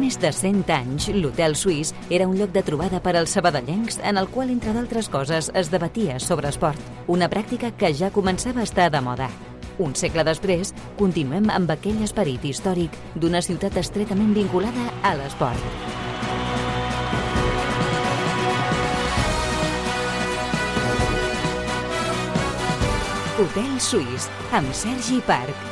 més de 100 anys, l'Hotel Suís era un lloc de trobada per als sabadellencs en el qual, entre d'altres coses, es debatia sobre esport, una pràctica que ja començava a estar de moda. Un segle després, continuem amb aquell esperit històric d'una ciutat estretament vinculada a l'esport. Hotel Suís, amb Sergi Parc.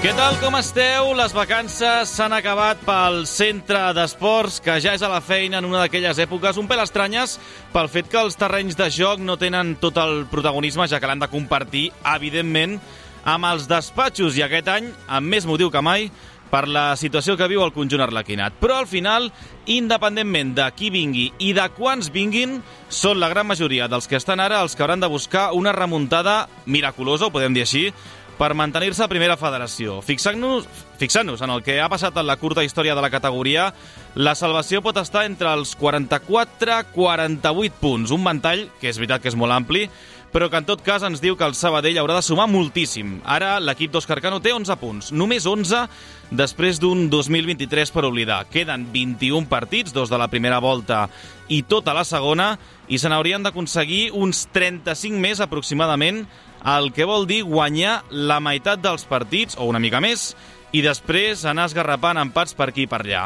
Què tal, com esteu? Les vacances s'han acabat pel centre d'esports, que ja és a la feina en una d'aquelles èpoques un pèl estranyes pel fet que els terrenys de joc no tenen tot el protagonisme, ja que l'han de compartir, evidentment, amb els despatxos, i aquest any, amb més motiu que mai, per la situació que viu el conjunt arlequinat. Però al final, independentment de qui vingui i de quants vinguin, són la gran majoria dels que estan ara els que hauran de buscar una remuntada miraculosa, ho podem dir així, per mantenir-se a primera federació. Fixant-nos en el que ha passat en la curta història de la categoria, la salvació pot estar entre els 44-48 punts, un ventall que és veritat que és molt ampli, però que en tot cas ens diu que el Sabadell haurà de sumar moltíssim. Ara l'equip d'Òscar Cano té 11 punts, només 11 després d'un 2023 per oblidar. Queden 21 partits, 2 de la primera volta i tota la segona, i se n'haurien d'aconseguir uns 35 més aproximadament, el que vol dir guanyar la meitat dels partits, o una mica més, i després anar esgarrapant empats per aquí i per allà.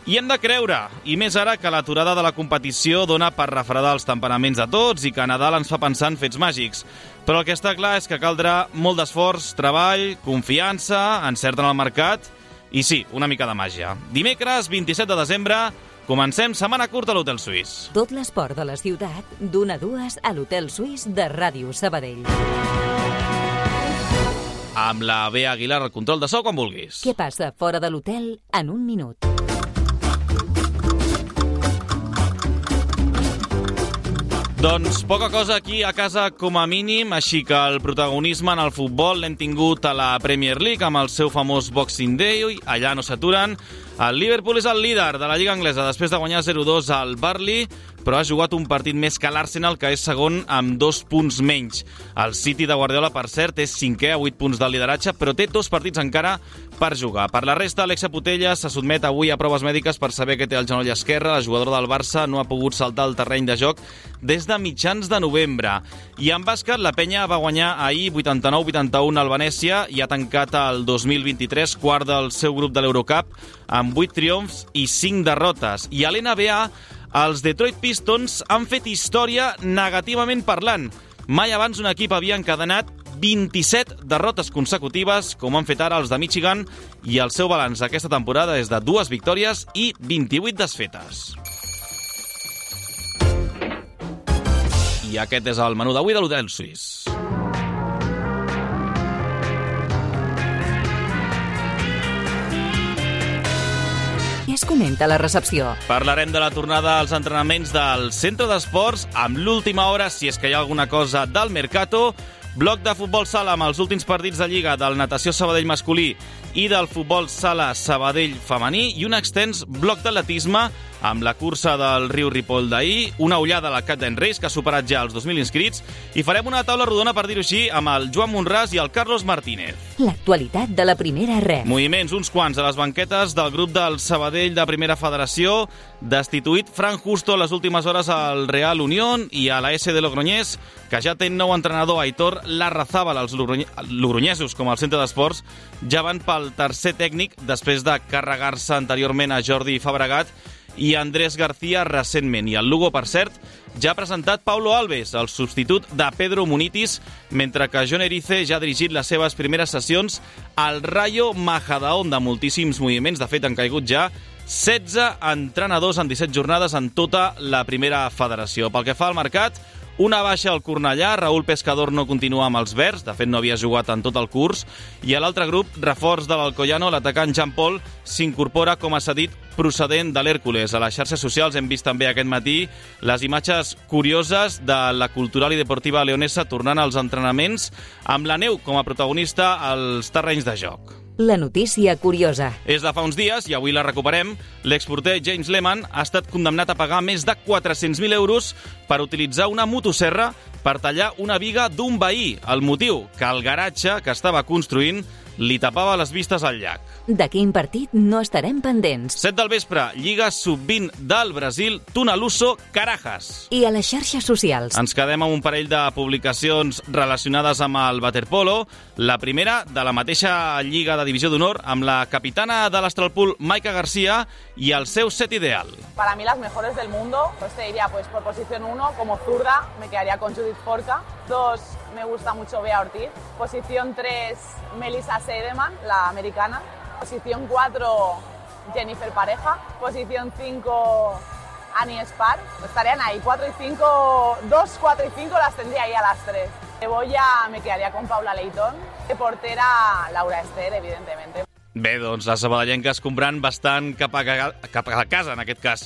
I hem de creure, i més ara que l'aturada de la competició dona per refredar els temperaments de tots i que Nadal ens fa pensar en fets màgics. Però el que està clar és que caldrà molt d'esforç, treball, confiança, encert en el mercat i sí, una mica de màgia. Dimecres, 27 de desembre, comencem setmana curta a l'Hotel Suís. Tot l'esport de la ciutat, d'1 a 2 a l'Hotel Suís de Ràdio Sabadell. Amb la Bea Aguilar al control de so quan vulguis. Què passa fora de l'hotel en un minut? Doncs poca cosa aquí a casa com a mínim, així que el protagonisme en el futbol l'hem tingut a la Premier League amb el seu famós Boxing Day, allà no s'aturen. El Liverpool és el líder de la Lliga Anglesa després de guanyar 0-2 al Burnley, però ha jugat un partit més que l'Arsenal, que és segon amb 2 punts menys. El City de Guardiola, per cert, és 5è a 8 punts del lideratge, però té 2 partits encara per jugar. Per la resta, Alexia Putellas se sotmet avui a proves mèdiques per saber que té el genoll esquerre. La jugadora del Barça no ha pogut saltar el terreny de joc des de mitjans de novembre. I en bàsquet, la Penya va guanyar ahir 89-81 al Venècia i ha tancat el 2023 quart del seu grup de l'Eurocup amb 8 triomfs i 5 derrotes. I a l'NBA, els Detroit Pistons han fet història negativament parlant. Mai abans un equip havia encadenat 27 derrotes consecutives, com han fet ara els de Michigan, i el seu balanç aquesta temporada és de 2 victòries i 28 desfetes. I aquest és el menú d'avui de l'Hotel Suís. Què es comenta a la recepció? Parlarem de la tornada als entrenaments del centre d'esports amb l'última hora, si és que hi ha alguna cosa del Mercato, bloc de futbol sala amb els últims partits de Lliga del Natació Sabadell masculí i del futbol sala Sabadell femení i un extens bloc d'atletisme amb la cursa del Riu Ripoll d'ahir, una ullada a la Cat d'en Reis, que ha superat ja els 2.000 inscrits, i farem una taula rodona, per dir-ho així, amb el Joan Monràs i el Carlos Martínez. L'actualitat de la primera ref. Moviments, uns quants, a les banquetes del grup del Sabadell de Primera Federació, destituït Fran Justo a les últimes hores al Real Unión i a la S de Logroñés, que ja té nou entrenador, Aitor Larrazábal. Els logroñesos, com el centre d'esports, ja van pel tercer tècnic després de carregar-se anteriorment a Jordi Fabregat i Andrés García recentment. I el Lugo, per cert, ja ha presentat Paulo Alves, el substitut de Pedro Munitis, mentre que John Erice ja ha dirigit les seves primeres sessions al Rayo Majadahonda. Moltíssims moviments, de fet han caigut ja 16 entrenadors en 17 jornades en tota la primera federació. Pel que fa al mercat, una baixa al Cornellà, Raúl Pescador no continua amb els verds, de fet no havia jugat en tot el curs, i a l'altre grup, reforç de l'Alcoyano, l'atacant Jean Paul s'incorpora com a cedit procedent de l'Hèrcules. A les xarxes socials hem vist també aquest matí les imatges curioses de la Cultural i Deportiva Leonesa tornant als entrenaments amb la neu com a protagonista als terrenys de joc. La notícia curiosa. És de fa uns dies, i avui la recuperem. L'exporter James Lehmann ha estat condemnat a pagar més de 400.000 euros per utilitzar una motosserra per tallar una viga d'un veí. El motiu, que el garatge que estava construint li tapava les vistes al llac. De quin partit no estarem pendents? 7 del vespre, Lliga Sub-20 del Brasil, Tunaluso, Carajas. I a les xarxes socials. Ens quedem amb un parell de publicacions relacionades amb el waterpolo. La primera, de la mateixa Lliga de Divisió d'Honor, amb la capitana de l'Astralpool, Maika García, i el seu set ideal. Para mí las mejores del mundo, pues te diría, pues por posición 1, como zurda, me quedaría con Judith Forca. 2, me gusta mucho Bea Ortiz. Posición 3, Melissa Seidemann, la americana. Posición 4, Jennifer Pareja. Posición 5, Annie Spar. Estarían ahí, 4 y 5, 2, 4 y 5 las tendría ahí a las 3. De boya me quedaría con Paula Leitón. De portera, Laura Ester, evidentemente. Bé, doncs les sabadellenques comprant bastant cap a casa, en aquest cas.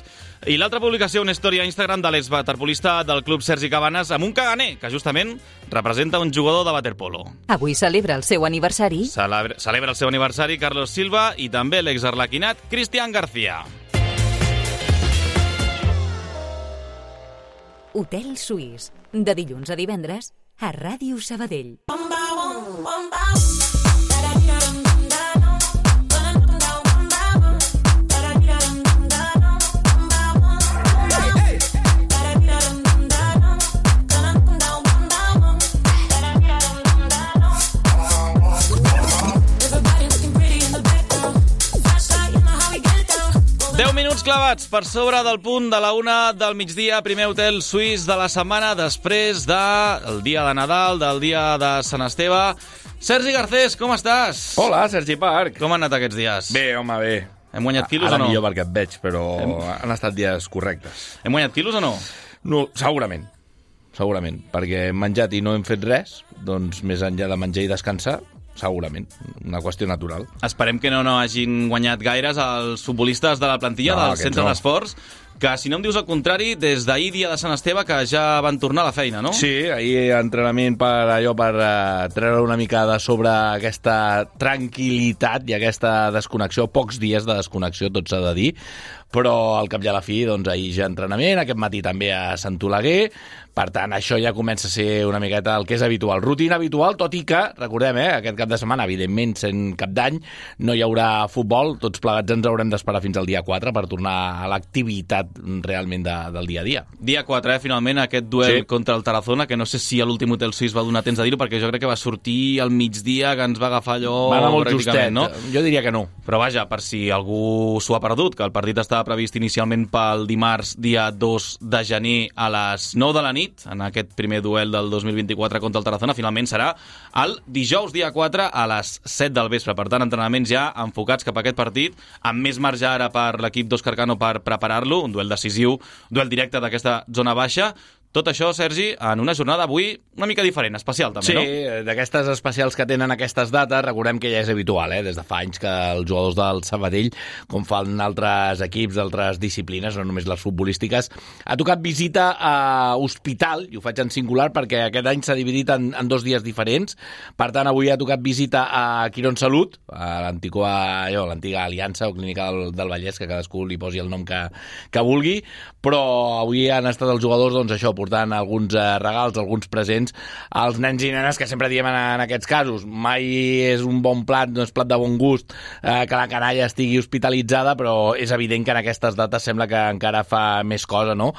I l'altra publicació, una història a Instagram de l'exwaterpolista del club Sergi Cabanes amb un caganer, que justament representa un jugador de waterpolo. Avui celebra el seu aniversari. Celebra el seu aniversari Carlos Silva i també l'exarlequinat Cristian García. Hotel Suís, de dilluns a divendres, a Ràdio Sabadell. 10 minuts clavats per sobre del punt de la 1 del migdia, primer hotel suís de la setmana després del dia de Nadal, del dia de Sant Esteve. Sergi Garcés, com estàs? Hola, Sergi Parc. Com han anat aquests dies? Bé, home, bé. Hem guanyat quilos Ara o no? millor perquè et veig, però han estat dies correctes. Hem guanyat quilos o no? No, segurament, perquè hem menjat i no hem fet res, doncs més enllà de menjar i descansar, segurament, una qüestió natural. Esperem que no hagin guanyat gaires els futbolistes de la plantilla del centre d'esports, que si no em dius el contrari, des d'ahir dia de Sant Esteve que ja van tornar a la feina, no? Sí, ahir entrenament per treure una mica de sobre aquesta tranquil·litat i aquesta desconnexió, pocs dies de desconnexió, tot s'ha de dir, però al cap i a la fi, doncs ahir ja entrenament, aquest matí també a Sant Oleguer, per tant, això ja comença a ser una miqueta el que és habitual. Rutina habitual, tot i que, recordem, aquest cap de setmana, evidentment, sent cap d'any, no hi haurà futbol, tots plegats ens haurem d'esperar fins al dia 4 per tornar a l'activitat realment del dia a dia. Dia 4, finalment, aquest duel contra el Tarazona, que no sé si a l'últim hotel suís va donar temps de dir-ho, perquè jo crec que va sortir al migdia, que ens va agafar allò va anar molt pràcticament, justet, no? Jo diria que no. Però vaja, per si algú s'ho ha perdut, que el partit estava previst inicialment pel dimarts, dia 2 de gener a les 9 de la nit, en aquest primer duel del 2024 contra el Tarazona, finalment serà el dijous, dia 4, a les 7 del vespre. Per tant, entrenaments ja enfocats cap a aquest partit, amb més marge ara per l'equip d'Òscar Cano per preparar-lo, un duel decisiu, duel directe d'aquesta zona baixa. Tot això, Sergi, en una jornada avui una mica diferent, especial també, no? Sí, d'aquestes especials que tenen aquestes dates, recordem que ja és habitual, des de fa anys que els jugadors del Sabadell, com fan altres equips d'altres disciplines, no només les futbolístiques, ha tocat visita a hospital, i ho faig en singular perquè aquest any s'ha dividit en 2 dies diferents. Per tant, avui ha tocat visita a Quirón Salut, a l'antiga Aliança o Clínica del Vallès, que cadascú li posi el nom que vulgui, però avui han estat els jugadors, doncs això, portant alguns regals, alguns presents als nens i nenes, que sempre diem en aquests casos. Mai és un bon plat, no és plat de bon gust que la canalla estigui hospitalitzada, però és evident que en aquestes dates sembla que encara fa més cosa, no?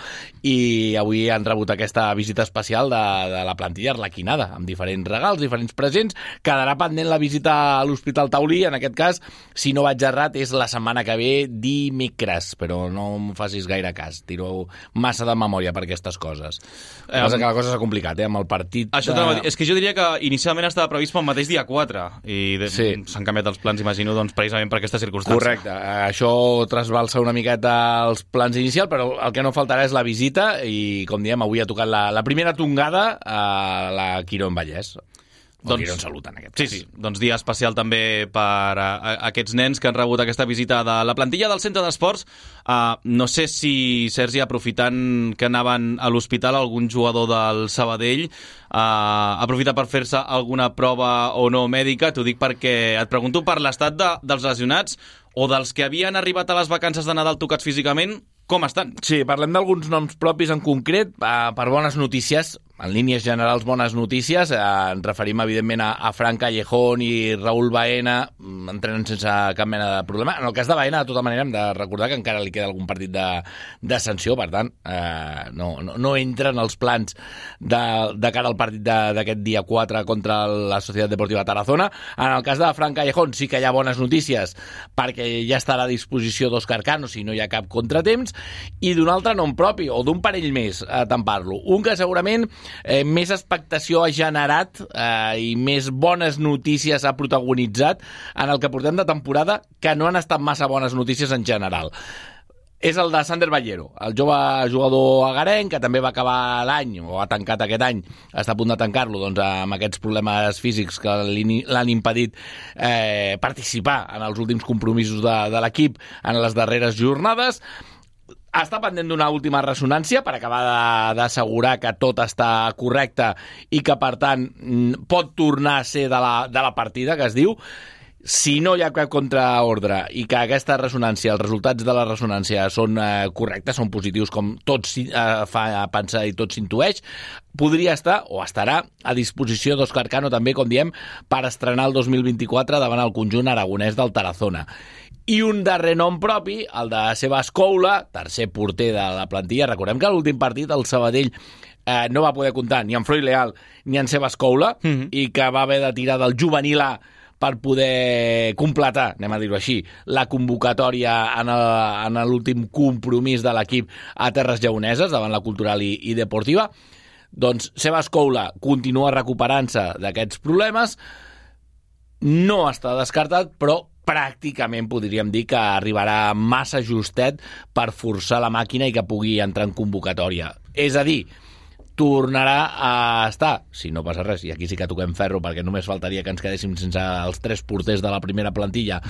I avui han rebut aquesta visita especial de la plantilla arlequinada, amb diferents regals, diferents presents. Quedarà pendent la visita a l'Hospital Taulí, en aquest cas, si no vaig errat, és la setmana que ve, dimecres, però no em facis gaire cas, tiro massa de memòria per aquestes coses. Que la cosa s'ha complicat, amb el partit... Això és que jo diria que inicialment estava previst pel mateix dia 4 i s'han canviat els plans, imagino, doncs, precisament per aquesta circumstància. Correcte, això trasbalsa una miqueta els plans inicials, però el que no faltarà és la visita i, com diem, avui ha tocat la primera tongada a la Quirón Vallès. Quirón Salut, en aquest cas. Sí, doncs dia especial també per aquests nens que han rebut aquesta visita de la plantilla del centre d'esports. No sé si, Sergi, aprofitant que anaven a l'hospital, algun jugador del Sabadell aprofita per fer-se alguna prova o no mèdica. T'ho dic perquè et pregunto per l'estat dels lesionats o dels que havien arribat a les vacances de Nadal tocats físicament. Com estan? Sí, parlem d'alguns noms propis en concret, per bones notícies. en línies generals, bones notícies. Ens referim, evidentment, a Fran Callejón i Raúl Baena, entrenen sense cap mena de problema. En el cas de Baena, de tota manera, hem de recordar que encara li queda algun partit de sanció, per tant, no entra en els plans de cara al partit d'aquest dia 4 contra la Societat Deportiva Tarazona. En el cas de Fran Callejón sí que hi ha bones notícies, perquè ja estarà a disposició d'Òscar Cano si no hi ha cap contratemps, i d'un altre nom propi, o d'un parell més, tant parlo. Un que segurament més expectació ha generat i més bones notícies ha protagonitzat en el que portem de temporada, que no han estat massa bones notícies en general. És el de Sander Ballero, el jove jugador agarenc, que també va acabar l'any, o ha tancat aquest any, està a punt de tancar-lo, doncs, amb aquests problemes físics que l'han impedit participar en els últims compromisos de l'equip en les darreres jornades. Està pendent d'una última ressonància per acabar d'assegurar que tot està correcte i que, per tant, pot tornar a ser de la partida, que es diu. Si no hi ha cap contraordre i que aquesta ressonància, els resultats de la ressonància són correctes, són positius, com tot fa pensar i tot s'intueix, podria estar o estarà a disposició d'Òscar Cano també, com diem, per estrenar el 2024 davant el conjunt aragonès del Tarazona. I un darrer nom propi, el de Sebas Coula, tercer porter de la plantilla. Recordem que a l'últim partit el Sabadell no va poder comptar ni amb Freud Leal ni amb Sebas Coula, i que va haver de tirar del juvenil A per poder completar, anem a dir-ho així, la convocatòria en l'últim compromís de l'equip a Terres Lleoneses, davant la Cultural i Deportiva. Doncs Sebas Coula continua recuperant-se d'aquests problemes, no està descartat, però pràcticament podríem dir que arribarà massa justet per forçar la màquina i que pugui entrar en convocatòria. És a dir, tornarà a estar, si no passa res, i aquí sí que toquem ferro perquè només faltaria que ens quedéssim sense els 3 porters de la primera plantilla,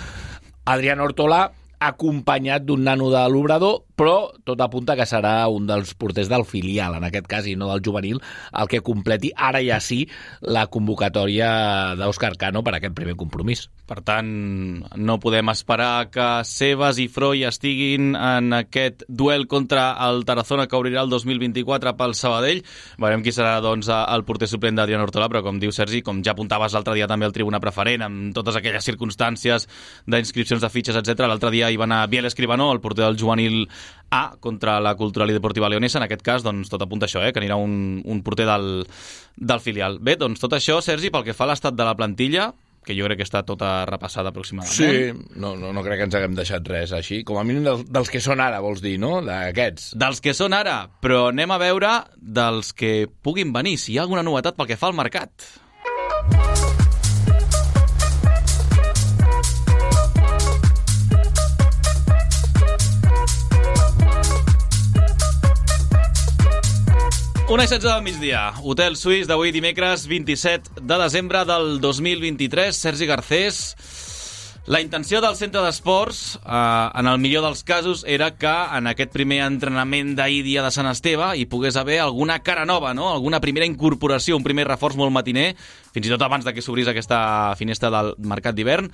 Adrián Hortolà, acompanyat d'un nano de l'Obrador, però tot apunta que serà un dels porters del filial, en aquest cas, i no del juvenil, el que completi ara ja sí la convocatòria d'Òscar Cano per aquest primer compromís. Per tant, no podem esperar que Sebas i Freud estiguin en aquest duel contra el Tarazona que obrirà el 2024 pel Sabadell. Veurem qui serà, doncs, el porter suplent d'Adrián Hortolà, però com diu Sergi, com ja apuntaves l'altre dia també al Tribuna Preferent, amb totes aquelles circumstàncies d'inscripcions de fitxes, etc. L'altre dia hi va anar Biel Escribano, el porter del juvenil A, contra la Cultural i Deportiva Leonesa. En aquest cas, doncs, tot apunta això, que anirà un porter del filial. Bé, doncs tot això, Sergi, pel que fa a l'estat de la plantilla, que jo crec que està tota repassada aproximadament. Sí, no crec que ens haguem deixat res així. Com a mínim dels que són ara, vols dir, no? D'aquests. Dels que són ara, però anem a veure dels que puguin venir, si hi ha alguna novetat pel que fa al mercat. Una i 16 del migdia. Hotel Suís d'avui dimecres 27 de desembre del 2023. Sergi Garcés, la intenció del centre d'esports, en el millor dels casos, era que en aquest primer entrenament d'ahir dia de Sant Esteve hi pogués haver alguna cara nova, no? Alguna primera incorporació, un primer reforç molt matiner, fins i tot abans de que s'obrís aquesta finestra del mercat d'hivern.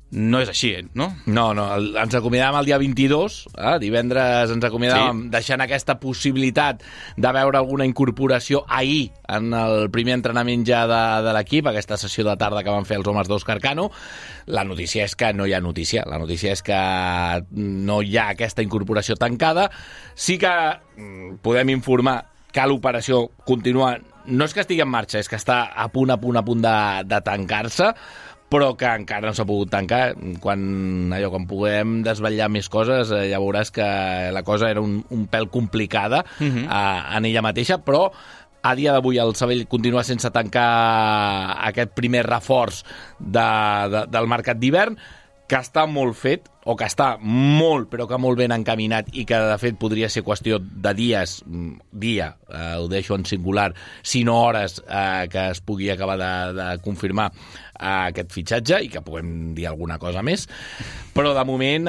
No és així, no? No, ens acomiadàvem el dia 22, divendres ens acomiadàvem deixant aquesta possibilitat de veure alguna incorporació ahir en el primer entrenament ja de l'equip, aquesta sessió de tarda que van fer els homes d'Òscar Cano. La notícia és que no hi ha notícia, la notícia és que no hi ha aquesta incorporació tancada. Sí que podem informar que l'operació continua, no és que estigui en marxa, és que està a punt de tancar-se, però que encara no s'ha pogut tancar. Quan puguem desvetllar més coses, ja veuràs que la cosa era un pèl complicada en ella mateixa, però a dia d'avui el Sabadell continua sense tancar aquest primer reforç del mercat d'hivern, que està molt fet, o que està molt, però que molt ben encaminat, i que de fet podria ser qüestió de dies, ho deixo en singular, sinó hores, que es pugui acabar de confirmar aquest fitxatge i que puguem dir alguna cosa més, però de moment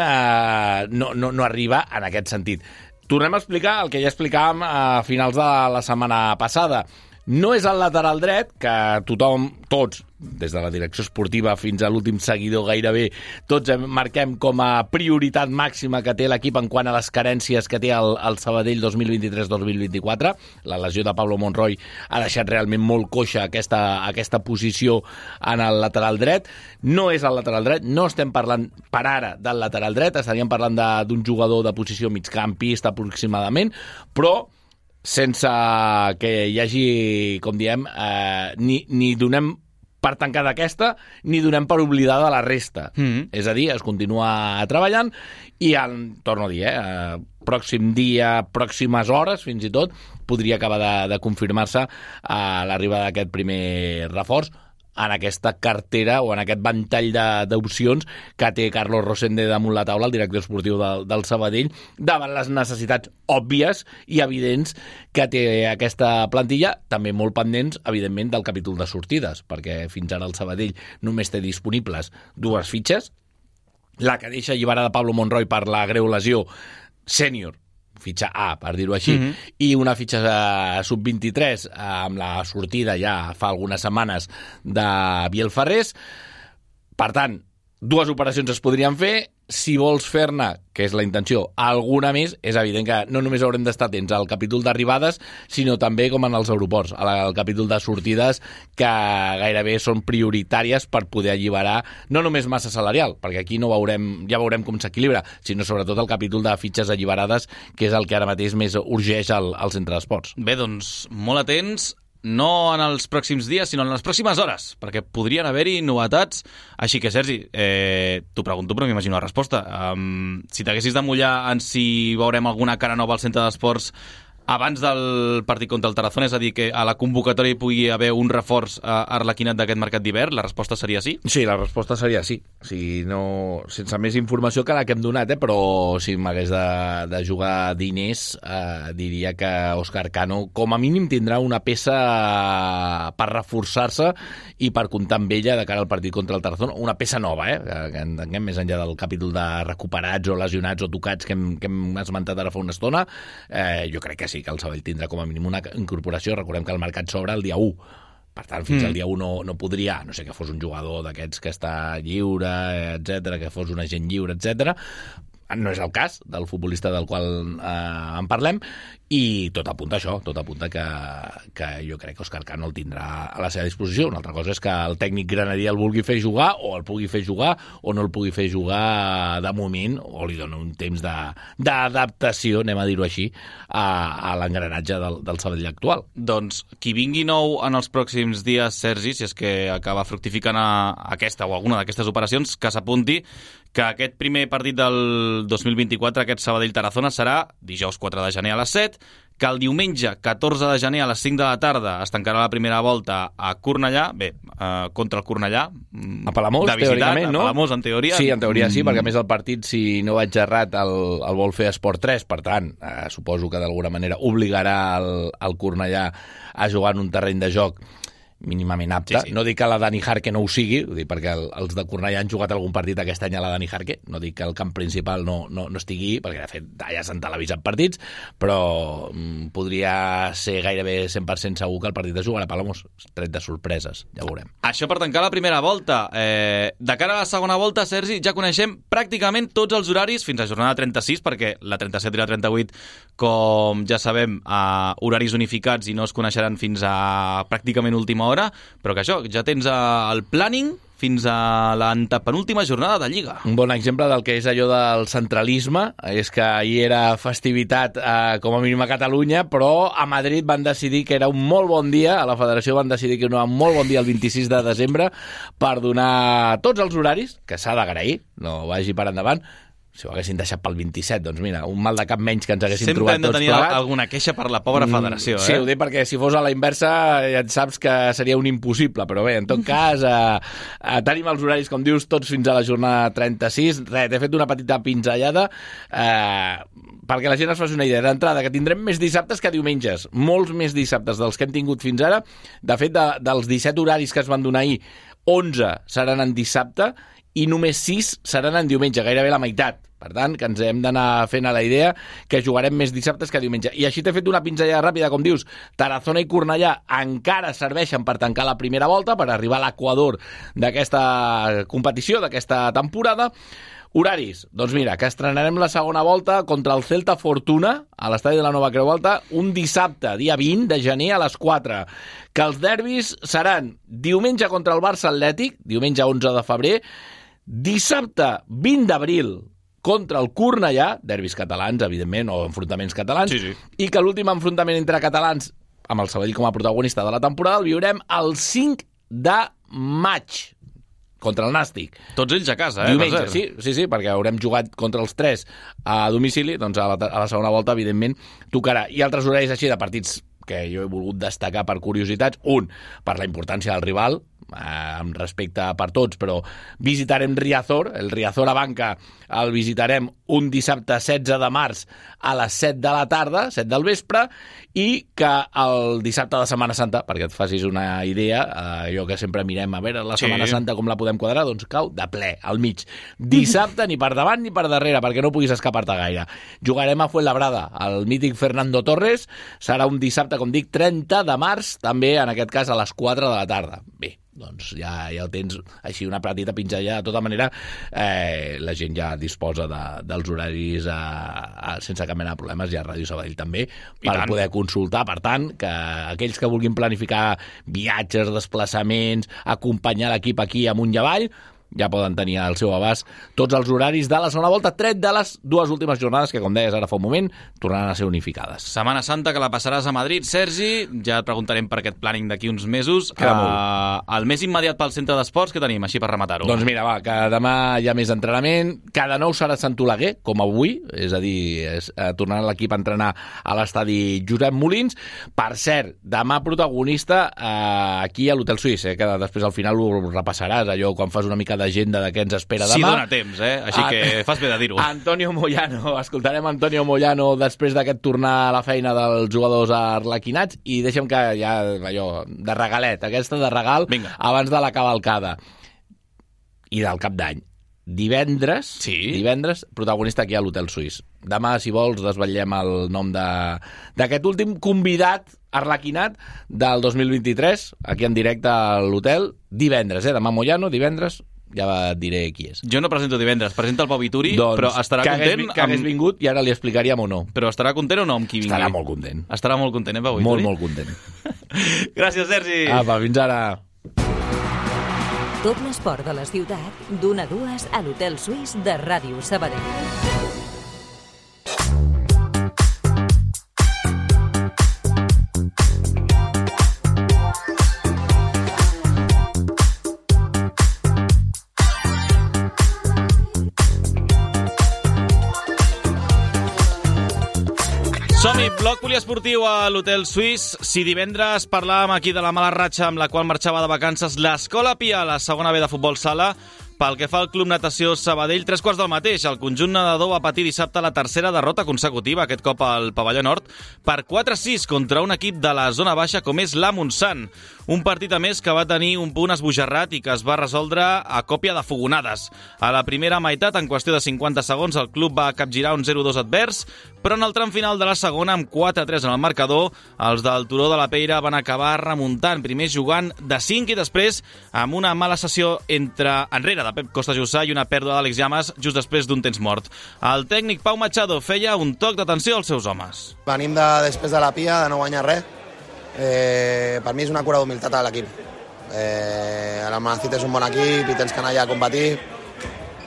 no arriba en aquest sentit. Tornem a explicar el que ja explicàvem a finals de la setmana passada. No és el lateral dret, que tothom, tots, des de la direcció esportiva fins a l'últim seguidor gairebé, tots marquem com a prioritat màxima que té l'equip en quant a les carències que té el Sabadell 2023-2024. La lesió de Pablo Monroy ha deixat realment molt coixa aquesta posició en el lateral dret. No és el lateral dret, no estem parlant per ara del lateral dret, estaríem parlant d'un jugador de posició migcampista aproximadament, però sense que hi hagi, com diem, ni donem per tancada aquesta, ni donem per oblidada la resta. És a dir, es continua treballant i, torno a dir, pròxim dia, pròximes hores, fins i tot, podria acabar de confirmar-se l'arribada d'aquest primer reforç en aquesta cartera o en aquest ventall d'opcions que té Carlos Rosende damunt la taula, el director esportiu del Sabadell, davant les necessitats òbvies i evidents que té aquesta plantilla, també molt pendents, evidentment, del capítol de sortides, perquè fins ara el Sabadell només té disponibles 2 fitxes, la que deixa alliberada Pablo Monroy per la greu lesió sènior, fitxa A, per dir-ho així, i una fitxa sub-23 amb la sortida ja fa algunes setmanes de Biel Ferrés. Per tant, 2 operacions es podrien fer. Si vols fer-ne, que és la intenció, alguna més, és evident que no només haurem d'estar atents al capítol d'arribades, sinó també com en els aeroports, al capítol de sortides, que gairebé són prioritàries per poder alliberar no només massa salarial, perquè aquí ja veurem com s'equilibra, sinó sobretot el capítol de fitxes alliberades, que és el que ara mateix més urgeix al centre d'esports. Bé, doncs, molt atents, no en els pròxims dies, sinó en les pròximes hores, perquè podrien haver-hi novetats. Així que, Sergi, t'ho pregunto, però m'imagino la resposta. Si t'haguessis de mullar en si veurem alguna cara nova al centre d'esports abans del partit contra el Tarazona, és a dir, que a la convocatòria hi pugui haver un reforç arlequinat d'aquest mercat d'hivern, la resposta seria sí? Sí, la resposta seria sí. No, sense més informació que la que hem donat, però si m'hagués de jugar diners, diria que Òscar Cano com a mínim tindrà una peça per reforçar-se i per comptar amb ella de cara al partit contra el Tarazona, una peça nova, que entenguem més enllà del capítol de recuperats o lesionats o tocats que hem esmentat ara fa una estona. Jo crec que sí, que el Sabadell tindrà com a mínim una incorporació. Recordem que el mercat s'obre el dia 1. Per tant, fins al dia 1 no podria, no sé, que fos un jugador d'aquests que està lliure, etc, que fos un agent lliure, etc. No és el cas del futbolista del qual en parlem, i tot apunta a això, tot apunta que jo crec que Òscar Cano el tindrà a la seva disposició. Una altra cosa és que el tècnic granadí el vulgui fer jugar, o el pugui fer jugar, o no el pugui fer jugar de moment, o li dona un temps d'adaptació, anem a dir-ho així, a l'engranatge del Sabadell actual. Doncs qui vingui nou en els pròxims dies, Sergi, si és que acaba fructificant aquesta o alguna d'aquestes operacions, que s'apunti que aquest primer partit del 2024, aquest Sabadell-Tarazona, serà dijous 4 de gener a les 7, que el diumenge 14 de gener a les 5 de la tarda es tancarà la primera volta a Cornellà, contra el Cornellà. A Palamós, teòricament, no? A Palamós, en teoria. Sí, en teoria sí, perquè a més el partit, si no vaig errat, el vol fer Esport 3, per tant, suposo que d'alguna manera obligarà el Cornellà a jugar en un terreny de joc mínimament apte. Sí. No dic que la Dani Jarque no ho sigui, ho dic perquè els de Cornellà han jugat algun partit aquest any a la Dani Jarque, no dic que el camp principal no estigui, perquè de fet allà s'han televisat partits, però podria ser gairebé 100% segur que el partit es jugarà a Palamós, tret de sorpreses, ja veurem. Això per tancar la primera volta. De cara a la segona volta, Sergi, ja coneixem pràcticament tots els horaris fins a jornada 36, perquè la 37 i la 38, com ja sabem, horaris unificats i no es coneixeran fins a pràcticament última hora, però que això, ja tens el planning fins a l'antepenúltima jornada de Lliga. Un bon exemple del que és allò del centralisme és que ahir era festivitat com a mínim a Catalunya, però a Madrid van decidir que era un molt bon dia, a la federació van decidir que era un molt bon dia el 26 de desembre per donar tots els horaris, que s'ha d'agrair, no vagi per endavant. Si ho haguessin deixat pel 27, doncs mira, un mal de cap menys que ens haguessin trobat tots plegats. Sempre hem de tenir alguna queixa per la pobra federació, Sí, ho dic perquè si fos a la inversa ja et saps que seria un impossible, però bé, en tot cas, tenim els horaris, com dius, tots fins a la jornada 36. T'he fet una petita pinzellada perquè la gent es faci una idea d'entrada, que tindrem més dissabtes que diumenges, molts més dissabtes dels que hem tingut fins ara. De fet, dels 17 horaris que es van donar ahir, 11 seran en dissabte i només 6 seran en diumenge, gairebé la meitat. Per tant, que ens hem d'anar fent a la idea que jugarem més dissabtes que diumenge. I així t'he fet una pinzellada ràpida, com dius, Tarazona i Cornellà encara serveixen per tancar la primera volta, per arribar a l'equador d'aquesta competició, d'aquesta temporada. Horaris, doncs mira, que estrenarem la segona volta contra el Celta Fortuna a l'estadi de la Nova Creu Alta un dissabte, dia 20 de gener a les 4. Que els derbis seran diumenge contra el Barça Atlètic, diumenge 11 de febrer, dissabte 20 d'abril contra el Cornellà, derbis catalans, evidentment, o enfrontaments catalans, sí. I que l'últim enfrontament entre catalans, amb el Sabadell com a protagonista de la temporada, el viurem el 5 de maig, contra el Nàstic. Tots ells a casa, Diumenge, sí, perquè haurem jugat contra els 3 a domicili, doncs a la segona volta, evidentment, tocarà. I altres horaris així de partits que jo he volgut destacar per curiositats. Un, per la importància del rival, amb respecte per tots, però visitarem Riazor, el Riazor a Banca el visitarem un dissabte 16 de març a les 7 de la tarda, 7 del vespre, i que el dissabte de Setmana Santa, perquè et facis una idea, allò que sempre mirem, a veure, la Setmana Santa com la podem quadrar, doncs cau de ple, al mig. Dissabte ni per davant ni per darrere, perquè no puguis escapar-te gaire. Jugarem a Fuenlabrada, el mític Fernando Torres, serà un dissabte, com dic, 30 de març, també en aquest cas a les 4 de la tarda. Bé, doncs ja el tens així una petita pinzellada. De tota manera, la gent ja disposa dels horaris sense cap mena de problemes, i a Ràdio Sabadell també, per poder consultar. Per tant, que aquells que vulguin planificar viatges, desplaçaments, acompanyar l'equip aquí amunt i avall, ja poden tenir al seu abast tots els horaris de la segona volta, tret de les dues últimes jornades que, com deies ara fa un moment, tornaran a ser unificades. Setmana Santa, que la passaràs a Madrid, Sergi. Ja et preguntarem per aquest planning d'aquí uns mesos. El més immediat pel centre d'esports, que tenim, així per rematar-ho? Doncs mira, que demà hi ha més entrenament. Cada nou serà Sant Oleguer, com avui, és a dir, tornarà l'equip a entrenar a l'estadi Josep Molins. Per cert, demà protagonista aquí a l'Hotel Suís, que després al final ho repassaràs, allò quan fas una mica d'agenda de què ens espera demà. Sí, dona temps, Així que fas bé de dir-ho. Antonio Moyano, escoltarem Antonio Moyano després d'aquest tornar a la feina dels jugadors arlequinats, i deixa'm que ja, allò, de regalet, aquesta de regal, vinga, abans de la cavalcada i del cap d'any. Divendres, protagonista aquí a l'Hotel Suís. Demà, si vols, desvetllem el nom d'aquest últim convidat arlequinat del 2023, aquí en directe a l'hotel, divendres, demà Moyano, divendres, ja et diré qui és. Jo no presento divendres, presenta el Pau Vituri, doncs, però estarà content... Que hagués vingut i ara li explicaríem o no. Però estarà content o no amb qui vingui? Estarà molt content. Estarà molt content, Pau Vituri? Molt content. Gràcies, Sergi. Apa, fins ara. Tot l'esport de la ciutat, d'1 a 2 a l'Hotel Suís de Ràdio Sabadell. Som-hi, bloc poliesportiu a l'Hotel Suís. Si divendres parlàvem aquí de la mala ratxa amb la qual marxava de vacances l'Escola Pia a la segona B de futbol sala, pel que fa al Club Natació Sabadell, 3/4 del mateix. El conjunt nedador va patir dissabte la tercera derrota consecutiva, aquest cop al pavelló nord, per 4-6 contra un equip de la zona baixa com és la Montsant. Un partit a més que va tenir un punt esbojarrat i que es va resoldre a còpia de fogonades. A la primera meitat, en qüestió de 50 segons, el club va capgirar un 0-2 advers, però en el tram final de la segona, amb 4-3 en el marcador, els del Turó de la Peira van acabar remuntant, primer jugant de 5 i després amb una mala sessió enrere de Pep Costa Jussà i una pèrdua d'Àlex Llamas just després d'un temps mort. El tècnic Pau Machado feia un toc d'atenció als seus homes. Venim després de la Pia, de no guanyar res. Per mi és una cura d'humilitat a l'equip. L'Almanacid és un bon equip i tens que anar allà a competir.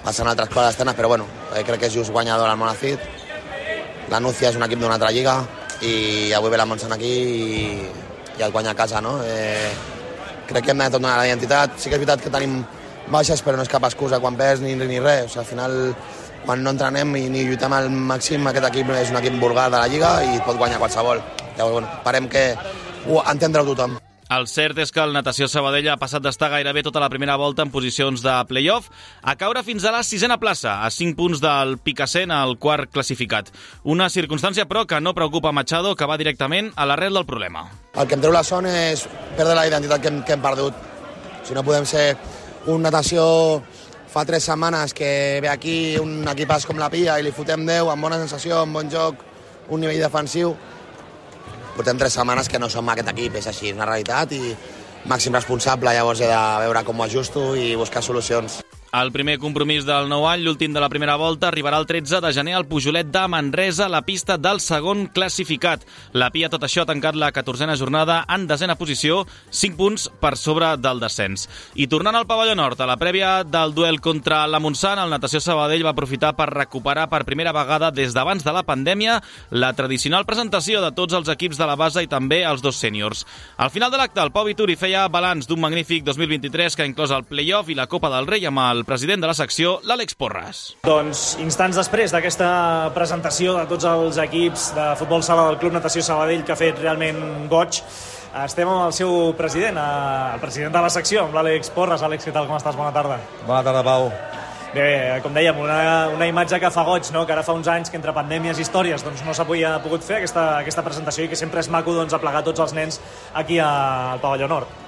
Passen altres coses externes, però bueno, crec que és just guanyador l'Almanacid. La Núcia és un equip d'una altra lliga i avui ve la Montsant aquí i et guanya a casa, no? Crec que hem de donar la identitat. Sí que és veritat que tenim baixes, però no és cap excusa quan perds ni res. O sigui, al final, quan no entrenem ni lluitem al màxim, aquest equip és un equip vulgar de la lliga i et pot guanyar qualsevol. Llavors, bueno, esperem que entendre-ho tothom. El cert és que el Natació Sabadell ha passat d'estar gairebé tota la primera volta en posicions de play-off a caure fins a la 6a plaça, a 5 punts del Picassent, el quart classificat. Una circumstància, però, que no preocupa Machado, que va directament a l'arrel del problema. El que em treu la son és perdre la identitat que hem perdut. Si no podem ser un Natació fa 3 setmanes que ve aquí un equipàs com la Pia i li fotem 10 amb bona sensació, amb bon joc, un nivell defensiu. Portem 3 setmanes que no som aquest equip, és així, és una realitat i màxim responsable, llavors he de veure com ho ajusto i buscar solucions. El primer compromís del nou any, l'últim de la primera volta, arribarà el 13 de gener al Pujolet de Manresa, la pista del segon classificat. La Pia, tot això, ha tancat la 14a jornada en 10a posició, 5 punts per sobre del descens. I tornant al pavelló nord, a la prèvia del duel contra la Montsant, el Natació Sabadell va aprofitar per recuperar per primera vegada des d'abans de la pandèmia la tradicional presentació de tots els equips de la base i també els 2 sèniors. Al final de l'acte, el Pau Vituri feia balanç d'un magnífic 2023 que ha inclòs el play-off i la Copa del Rei amb el president de la secció, l'Àlex Porras. Doncs instants després d'aquesta presentació de tots els equips de futbol sala del Club Natació Sabadell, que ha fet realment goig, estem amb el seu president, el president de la secció, amb l'Àlex Porras. Àlex, què tal, com estàs? Bona tarda. Bona tarda, Pau. Bé, com dèiem, una imatge que fa goig, no? Que ara fa uns anys que entre pandèmies i històries doncs, no s'havia pogut fer aquesta presentació i que sempre és maco doncs, aplegar tots els nens aquí al pavelló nord.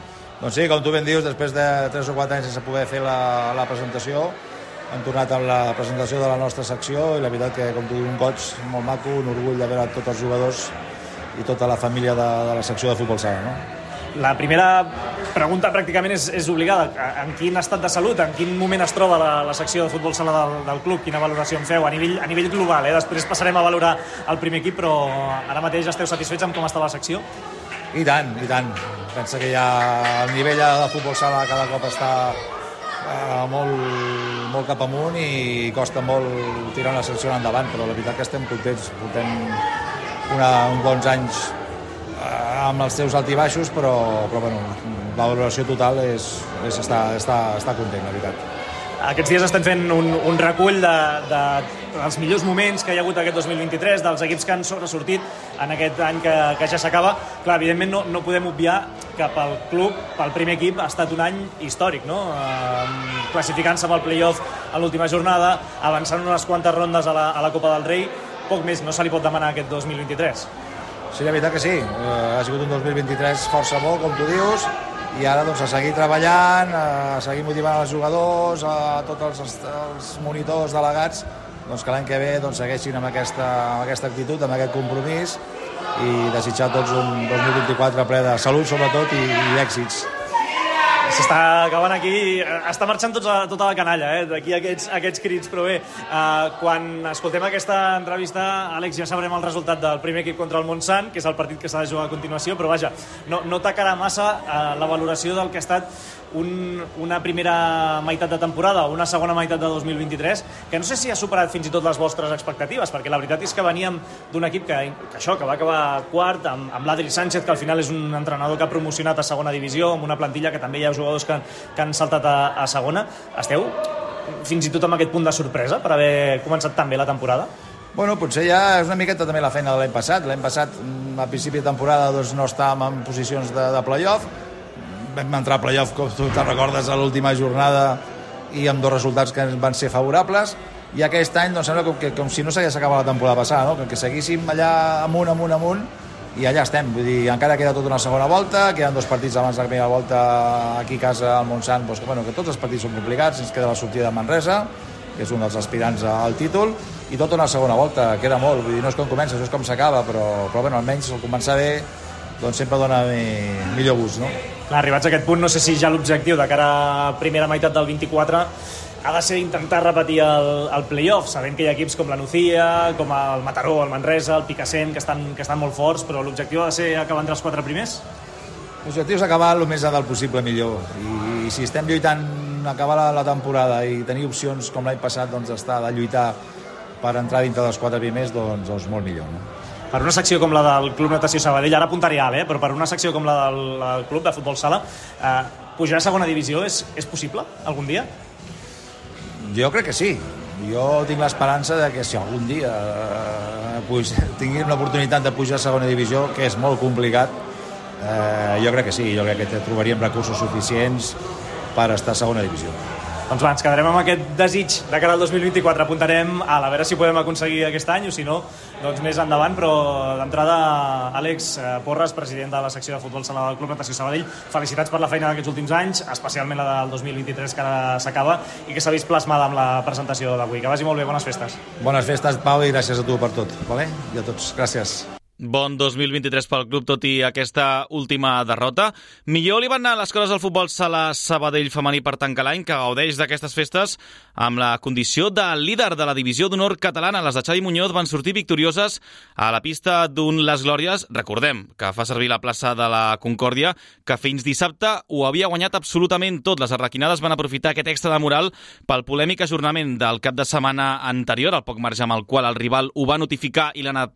Doncs sí, com tu ben dius, després de 3 o 4 anys sense poder fer la presentació, hem tornat amb la presentació de la nostra secció i la veritat que, com tu dius, un goig molt maco, un orgull de veure tots els jugadors i tota la família de la secció de futbol sala, no? La primera pregunta pràcticament és obligada. En quin estat de salut, en quin moment es troba la secció de futbol sala del club? Quina valoració en feu a nivell global? Després passarem a valorar el primer equip, però ara mateix esteu satisfets amb com està la secció? I tant, i tant. Pensa que ja el nivell de futbol sala cada cop està molt cap amunt i costa molt tirar una secció endavant, però la veritat que estem contents. Portem uns bons anys amb els seus alt i baixos, però bueno, la valoració total és estar content, la veritat. Aquests dies estem fent un recull dels millors moments que hi ha hagut aquest 2023, dels equips que han sobresortit en aquest any que ja s'acaba. Clar, evidentment no podem obviar que pel club, pel primer equip, ha estat un any històric, no? Classificant-se amb el play-off a l'última jornada, avançant unes quantes rondes a la Copa del Rei, poc més no se li pot demanar aquest 2023. Sí, la veritat que sí. Ha sigut un 2023 força bo, com tu dius, i ara doncs, a seguir treballant, a seguir motivant els jugadors, a tots els monitors delegats, doncs, que l'any que ve doncs, segueixin amb aquesta actitud, amb aquest compromís i desitjar a tots un 2024 ple de salut, sobretot, i èxits. S'està acabant aquí, està marxant tota la canalla, d'aquí aquests crits, però bé, quan escoltem aquesta entrevista, Àlex, ja sabrem el resultat del primer equip contra el Montsant, que és el partit que s'ha de jugar a continuació, però vaja, no tacarà massa la valoració del que ha estat una primera meitat de temporada o una segona meitat de 2023, que no sé si ha superat fins i tot les vostres expectatives, perquè la veritat és que veníem d'un equip que va acabar quart, amb l'Adri Sánchez, que al final és un entrenador que ha promocionat a segona divisió, amb una plantilla que també hi ha jugadors que han saltat a segona. Esteu fins i tot amb aquest punt de sorpresa per haver començat tan bé la temporada? Bueno, potser ja és una miqueta també la feina de l'any passat. L'any passat, a principi de temporada, doncs, no estàvem en posicions de play-off. Vam entrar a play-off, com tu te'n recordes, a l'última jornada i amb 2 resultats que van ser favorables, i aquest any doncs, sembla com si no s'hagués acabat la temporada passada, no? Que seguíssim allà amunt, i allà estem. Vull dir, encara queda tota una segona volta, queden 2 partits abans de la primera volta aquí a casa al Montsant, doncs, que tots els partits són complicats, ens queda la sortida de Manresa, que és un dels aspirants al títol, i tota una segona volta, queda molt, vull dir, no és com comença, això és com s'acaba, però bueno, almenys el començar bé doncs sempre dona millor gust, no? Clar, arribats a aquest punt, no sé si ja l'objectiu de cara a primera meitat del 24 ha de ser intentar repetir el play-off, sabent que hi ha equips com la Nucía, com el Mataró, el Manresa, el Picassent, que estan molt forts, però l'objectiu ha de ser acabar entre els 4 primers? L'objectiu és acabar el més del possible millor, i si estem lluitant a acabar la temporada i tenir opcions com l'any passat, doncs estar de lluitar per entrar dintre dels 4 primers, doncs molt millor, no? Per una secció com la del Club Natació Sabadell, ara apuntaré alt, però per una secció com la del Club de Futbol Sala, pujar a segona divisió és possible algun dia? Jo crec que sí. Jo tinc l'esperança de que si algun dia tinguin l'oportunitat de pujar a segona divisió, que és molt complicat, jo crec que sí. Jo crec que trobaríem recursos suficients per estar a segona divisió. Doncs ens quedarem amb aquest desig de cara al 2024. Apuntarem a veure si podem aconseguir aquest any o si no, doncs més endavant, però d'entrada Àlex Porras, president de la secció de futbol sala del Club Natació Sabadell, felicitats per la feina d'aquests últims anys, especialment la del 2023 que ara s'acaba i que s'ha vist plasmada amb la presentació d'avui. Que vagi molt bé, bones festes. Bones festes, Pau, i gràcies a tu per tot, vale? I a tots, gràcies. Bon 2023 pel club, tot i aquesta última derrota. Millor li van anar les coses al futbol sala Sabadell femení per tancar l'any, que gaudeix d'aquestes festes amb la condició de líder de la divisió d'honor catalana. Les de Xavi Muñoz van sortir victorioses a la pista d'un Les Glòries. Recordem que fa servir la plaça de la Concòrdia, que fins dissabte ho havia guanyat absolutament tot. Les arlequinades van aprofitar aquest extra de moral pel polèmic ajornament del cap de setmana anterior, el poc marge amb el qual el rival ho va notificar i la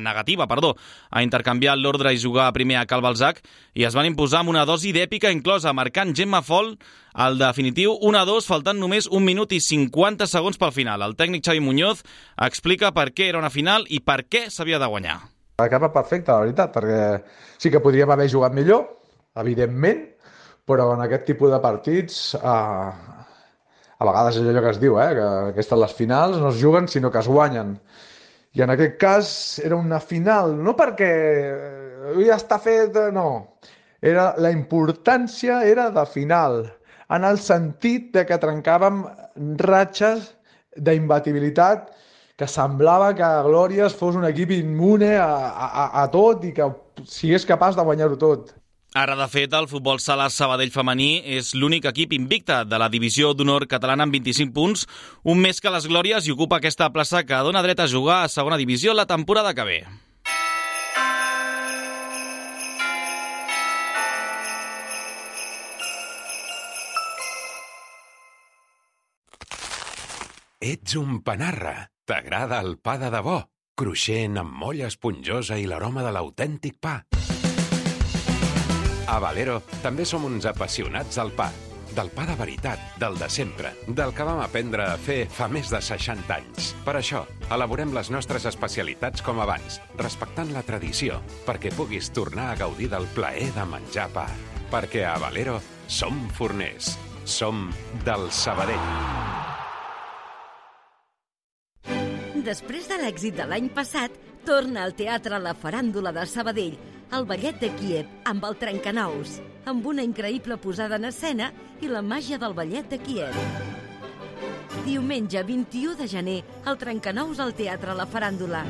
negativa a intercanviar l'ordre i jugar primer a Cal Balzac, i es van imposar amb una dosi d'èpica inclosa, marcant Gemma Fol al definitiu 1-2, faltant només 1 minut i 50 segons pel final. El tècnic Xavi Muñoz explica per què era una final i per què s'havia de guanyar. Acaba perfecte, la veritat, perquè sí que podríem haver jugat millor, evidentment, però en aquest tipus de partits a vegades és allò que es diu, que aquestes les finals no es juguen sinó que es guanyen. I en aquest cas era una final, no perquè ja està fet, no. La importància era de final, en el sentit de que trencàvem ratxes d'imbatibilitat, que semblava que Glòries fos un equip immune a tot i que sigués capaç de guanyar-ho tot. Ara, de fet, el futbol sala Sabadell femení és l'únic equip invicte de la divisió d'honor catalana amb 25 punts, un més que les Glòries, i ocupa aquesta plaça que dona dret a jugar a segona divisió la temporada que ve. Ets un panarra. T'agrada el pa de debò, cruixent amb molla esponjosa i l'aroma de l'autèntic pa. A Valero també som uns apassionats del pa de veritat, del de sempre, del que vam aprendre a fer fa més de 60 anys. Per això, elaborem les nostres especialitats com abans, respectant la tradició, perquè puguis tornar a gaudir del plaer de menjar pa. Perquè a Valero som forners, som del Sabadell. Després de l'èxit de l'any passat, torna al teatre La Faràndula de Sabadell, el ballet de Kíev amb el Trencanous, amb una increïble posada en escena i la màgia del ballet de Kíev. Diumenge 21 de gener, el Trencanous al teatre La Faràndula.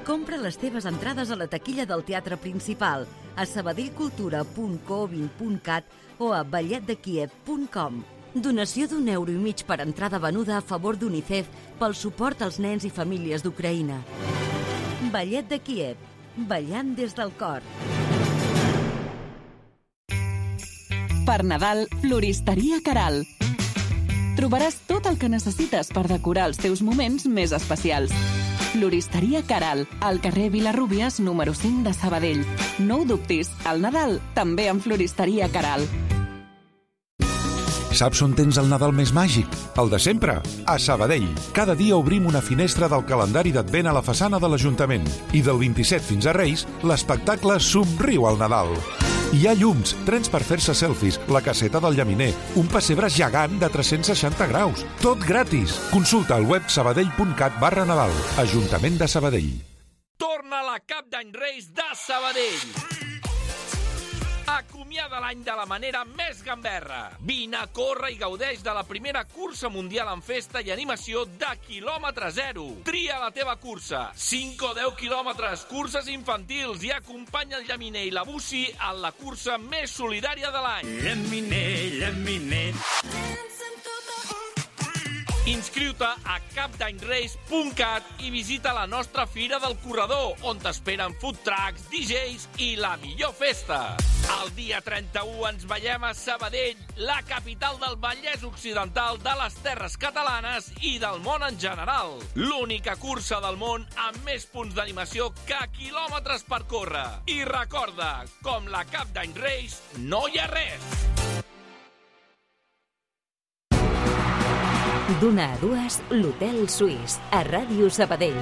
Compra les teves entrades a la taquilla del teatre principal, a sabadellcultura.co20.cat o a balletdekiev.com. Donació d'1,5 € per entrada venuda a favor d'UNICEF pel suport als nens i famílies d'Ucraïna. Ballet de Kíev, ballant des del cor. Per Nadal, Floristeria Caral. Trobaràs tot el que necessites per decorar els teus moments més especials. Floristeria Caral, al carrer Vilarrúbies, número 5 de Sabadell. No ho dubtis, al Nadal també amb Floristeria Caral. Saps on tens el Nadal més màgic? El de sempre, a Sabadell. Cada dia obrim una finestra del calendari d'Advent a la façana de l'Ajuntament. I del 27 fins a Reis, l'espectacle Somriu al Nadal. Hi ha llums, trens per fer-se selfies, la caseta del llaminer, un pessebre gegant de 360 graus. Tot gratis. Consulta al web sabadell.cat/Nadal. Ajuntament de Sabadell. Torna la Cap d'Any Reis de Sabadell. Acomiada l'any de la manera més gamberra. Vine a córrer i gaudeix de la primera cursa mundial en festa i animació de quilòmetre zero. Tria la teva cursa. 5 o 10 quilòmetres, curses infantils, i acompanya el llaminer i la bussi en la cursa més solidària de l'any. Llaminer, llaminer. Inscriu-te a capdanyreis.cat i visita la nostra Fira del Corredor, on t'esperen food trucks, DJs i la millor festa. El dia 31 ens veiem a Sabadell, la capital del Vallès Occidental, de les Terres Catalanes i del món en general. L'única cursa del món amb més punts d'animació que quilòmetres per córrer. I recorda, com la Cap d'Any Reis, no hi ha res. D'una a dues, l'Hotel Suís, a Ràdio Sabadell.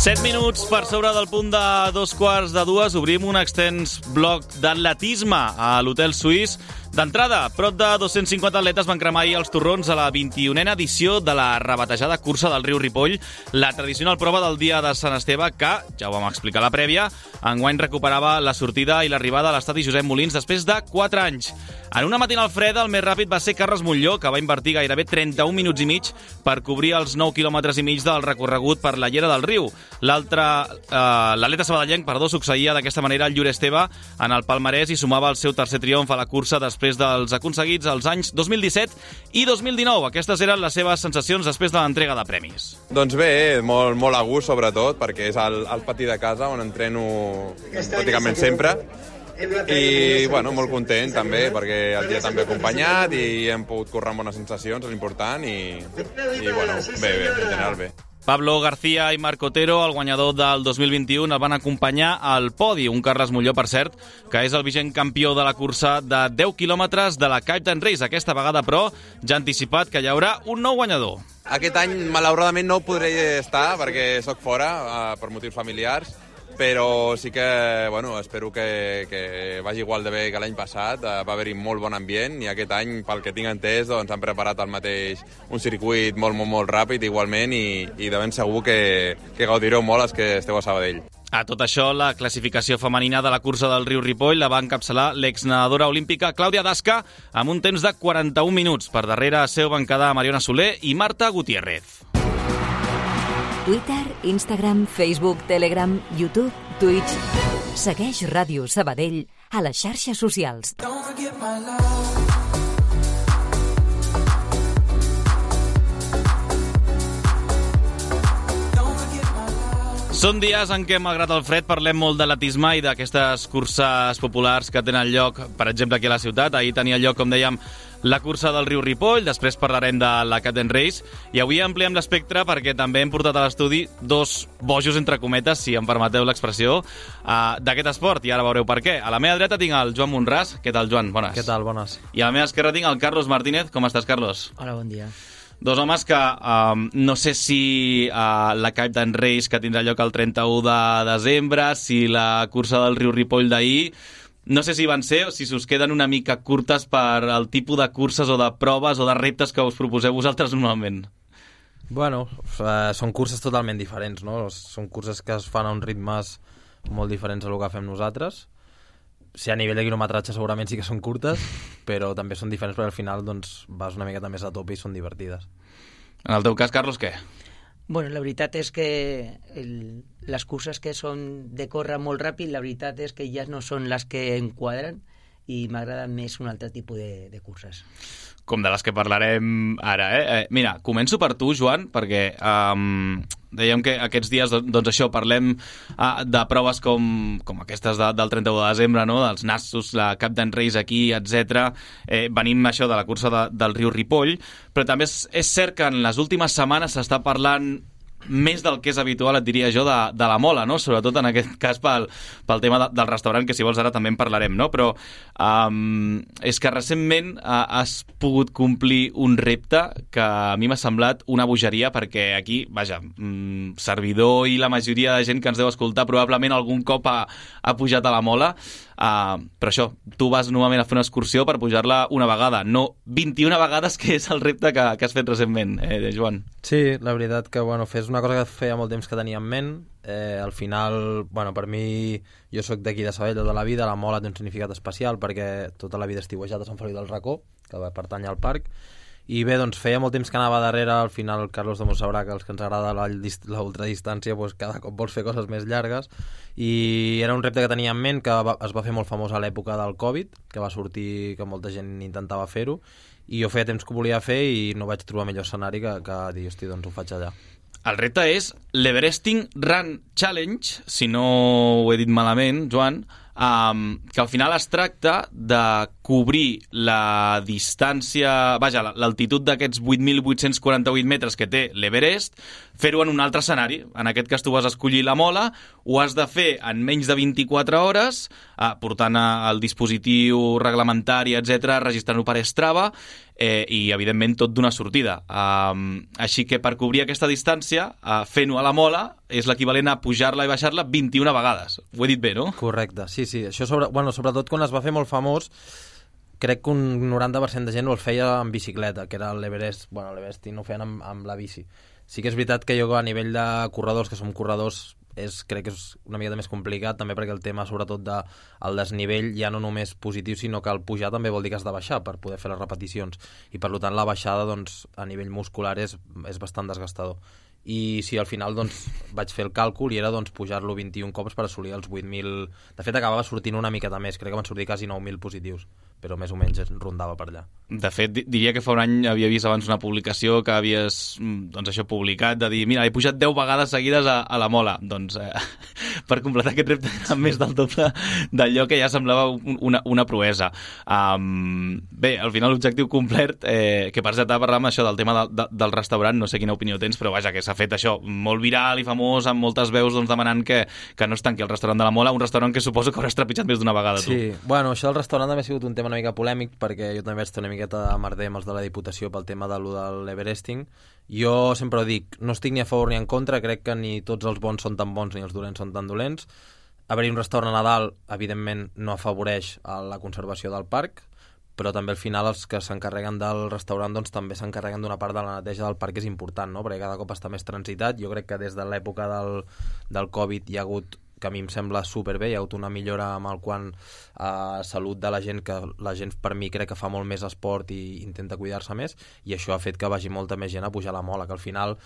7 minuts per sobre del punt de 2:45. Obrim un extens bloc d'atletisme a l'Hotel Suís. D'entrada, prop de 250 atletes van cremar ahir els torrons a la 21a edició de la rebatejada cursa del riu Ripoll, la tradicional prova del dia de Sant Esteve que, ja ho vam explicar a la prèvia, enguany recuperava la sortida i l'arribada a l'estadi Josep Molins després de 4 anys. En una matinal freda, el més ràpid va ser Carles Montlló, que va invertir gairebé 31 minuts i mig per cobrir els 9 quilòmetres i mig del recorregut per la llera del riu. L'atleta sabadellenc, succeïa d'aquesta manera el Llur Esteve en el palmarès i sumava el seu tercer triomf a la cursa després dels aconseguits els anys 2017 i 2019. Aquestes eren les seves sensacions després de l'entrega de premis. Doncs bé, molt a gust, sobretot, perquè és el pati de casa on entreno pràcticament sempre. I, molt content també, perquè el dia també acompanyat i hem pogut córrer amb bones sensacions, és important, i bé, en general bé. Pablo García i Marc Otero, el guanyador del 2021, el van acompanyar al podi. Un Carles Montlló, per cert, que és el vigent campió de la cursa de 10 quilòmetres de la Captain Race. Aquesta vegada, però, ja ha anticipat que hi haurà un nou guanyador. Aquest any, malauradament, no podré estar perquè sóc fora per motius familiars, però sí que, espero que vagi igual de bé que l'any passat. Va haver-hi molt bon ambient i aquest any, pel que tinc entès, han preparat un circuit molt ràpid igualment i de ben segur que gaudireu molt els que esteu a Sabadell. A tot això, la classificació femenina de la cursa del riu Ripoll la va encapçalar l'exnedadora olímpica Clàudia Dasca amb un temps de 41 minuts. Per darrere seu van quedar Mariona Soler i Marta Gutiérrez. Twitter, Instagram, Facebook, Telegram, YouTube, Twitch. Segueix Ràdio Sabadell a les xarxes socials. Són dies en què, malgrat el fred, parlem molt d'atletisme i d'aquestes curses populars que tenen lloc, per exemple, aquí a la ciutat. Ahir tenia lloc, com dèiem, la cursa del riu Ripoll, després parlarem de la Captain Race, i avui ampliem l'espectre perquè també hem portat a l'estudi dos bojos, entre cometes, si em permeteu l'expressió, d'aquest esport, i ara veureu per què. A la meva dreta tinc el Joan Monràs. Què tal, Joan? Bones. Què tal? Bones. I a la meva esquerra tinc el Carlos Martínez. Com estàs, Carlos? Hola, bon dia. Dos homes que no sé si la Captain Race, que tindrà lloc el 31 de desembre, si la cursa del riu Ripoll d'ahir, no sé si van ser o si us queden una mica curtes per el tipus de curses o de proves o de reptes que us proposeu vosaltres normalment. Són curses totalment diferents, no? Són curses que es fan a uns ritmes molt diferents a lo que fem nosaltres. Si a nivell de quilometratge segurament sí que són curtes, però també són diferents perquè al final vas una miqueta més a tope i són divertides. En el teu cas, Carlos, què? La veritat és que les curses que són de córrer molt ràpid, la veritat és que ja no són les que enquadren i m'agrada més un altre tipus de curses. Com de les que parlarem ara, Mira, començo per tu, Joan, perquè dèiem que aquests dies, això, parlem de proves com aquestes del 31 de desembre, no? Dels Nassos, la Captain Race aquí, etc. Venim això de la cursa del riu Ripoll, però també és cert que en les últimes setmanes s'està parlant més del que és habitual, et diria jo, de la mola, no? Sobretot en aquest cas pel tema del restaurant, que si vols ara també en parlarem, no? Però és que recentment has pogut complir un repte que a mi m'ha semblat una bogeria, perquè aquí, servidor i la majoria de gent que ens deu escoltar probablement algun cop ha pujat a la mola, però això, tu vas normalment a fer una excursió per pujar-la una vegada, no 21 vegades, que és el repte que has fet recentment, Joan. Sí, la veritat que fes una cosa que feia molt temps que tenia en ment. Al final, per mi, jo sóc d'aquí de Sabadell tota la vida, la mola té un significat especial perquè tota la vida he estiuejat a Sant Feliu del Racó, que pertany al parc, i bé, feia molt temps que anava darrere. Al final el Carlos de sabrà que els que ens agrada l'ultradistància cada cop vols fer coses més llargues, i era un repte que tenia en ment, que es va fer molt famós a l'època del Covid, que va sortir que molta gent intentava fer-ho, i jo feia temps que ho volia fer i no vaig trobar millor escenari que dir, hosti, doncs ho faig allà. El repte és l'Everesting Run Challenge, si no ho he dit malament, Joan, que al final es tracta de cobrir la distància, l'altitud d'aquests 8.848 metres que té l'Everest, fer-ho en un altre escenari. En aquest cas tu vas escollir la mola, ho has de fer en menys de 24 hores, portant el dispositiu reglamentari, etc., registrant-ho per Strava, i, evidentment, tot d'una sortida. Així que per cobrir aquesta distància, fent-ho a la mola, és l'equivalent a pujar-la i baixar-la 21 vegades. Ho he dit bé, no? Correcte, sí. Això sobretot quan es va fer molt famós, crec que un 90% de gent el feia en bicicleta, que era l'Everest. Bueno, l'Everest no ho feien amb la bici. Sí que és veritat que jo a nivell de corredors, que som corredors, crec que és una mica més complicat, també perquè el tema, sobretot, del desnivell ja no només positiu, sinó que el pujar també vol dir que has de baixar per poder fer les repeticions. I, per tant, la baixada, doncs, a nivell muscular és bastant desgastador. I sí, al final vaig fer el càlcul i era pujar-lo 21 cops per assolir els 8.000... De fet, acabava sortint una miqueta més, crec que van sortir quasi 9.000 positius, però més o menys rondava per allà. De fet, diria que fa un any havia vist abans una publicació que havies publicat, de dir, mira, he pujat 10 vegades seguides a la mola. Doncs per completar aquest repte era més del doble d'allò que ja semblava una proesa. Bé, al final l'objectiu complet, que per cert parlàvem això del tema del restaurant, no sé quina opinió tens, però vaja, que s'ha fet això molt viral i famós, amb moltes veus demanant que no es tanqui el restaurant de la Mola, un restaurant que suposo que hauràs trepitjat més d'una vegada, tu. Sí, bueno, això del restaurant també ha sigut un tema una mica polèmic, perquè jo també vaig ter una miqueta de merder amb els de la Diputació pel tema de l'Everesting. Jo sempre ho dic, no estic ni a favor ni en contra, crec que ni tots els bons són tan bons ni els dolents són tan dolents. Haver-hi un restaurant a dalt, evidentment, no afavoreix la conservació del parc, però també al final els que s'encarreguen del restaurant també s'encarreguen d'una part de la neteja del parc, que és important, no? Perquè cada cop està més transitat. Jo crec que des de l'època del Covid hi ha hagut, que a mi em sembla superbé, hi ha hagut una millora amb el quant a salut de la gent, que la gent per mi crec que fa molt més esport i intenta cuidar-se més, i això ha fet que vagi molta més gent a pujar a la mola, que al final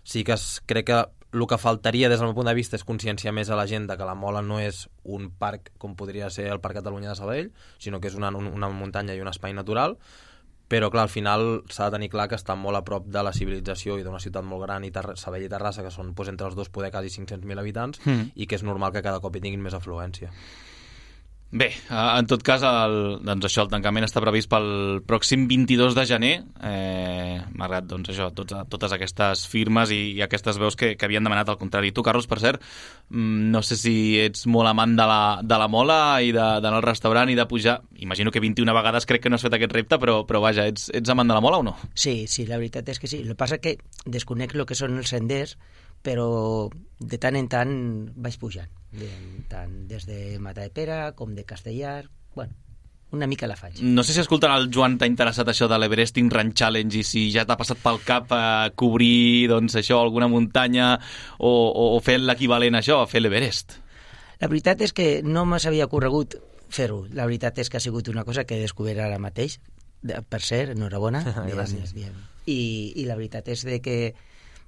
sí que crec que el que faltaria des del meu punt de vista és conscienciar més a la gent de que la mola no és un parc com podria ser el Parc Catalunya de Sabadell, sinó que és una muntanya i un espai natural, però clar, al final s'ha de tenir clar que està molt a prop de la civilització i d'una ciutat molt gran, Sabadell i Terrassa, que són entre els dos poder quasi 500.000 habitants, i que és normal que cada cop hi tinguin més afluència. Bé, en tot cas, el tancament està previst pel pròxim 22 de gener. M'ha agradat totes aquestes firmes i aquestes veus que havien demanat al contrari. Tu, Carlos, per cert, no sé si ets molt amant de la mola i d'anar al restaurant i de pujar. Imagino que 21 vegades crec que no has fet aquest repte, però vaja, ets amant de la mola o no? Sí, la veritat és que sí. El que passa que desconec el que són els senders, però de tant en tant vaig pujant, tant des de Matadepera com de Castellar. Bueno, una mica la faig. No sé si escoltant el Joan t'ha interessat això de l'Everesting Run Challenge i si ja t'ha passat pel cap cobrir alguna muntanya o fer l'equivalent a això, a fer l'Everest. La veritat és que no m'havia corregut fer-ho. La veritat és que ha sigut una cosa que he descobert ara mateix. Per cert, enhorabona. Gràcies. I la veritat és que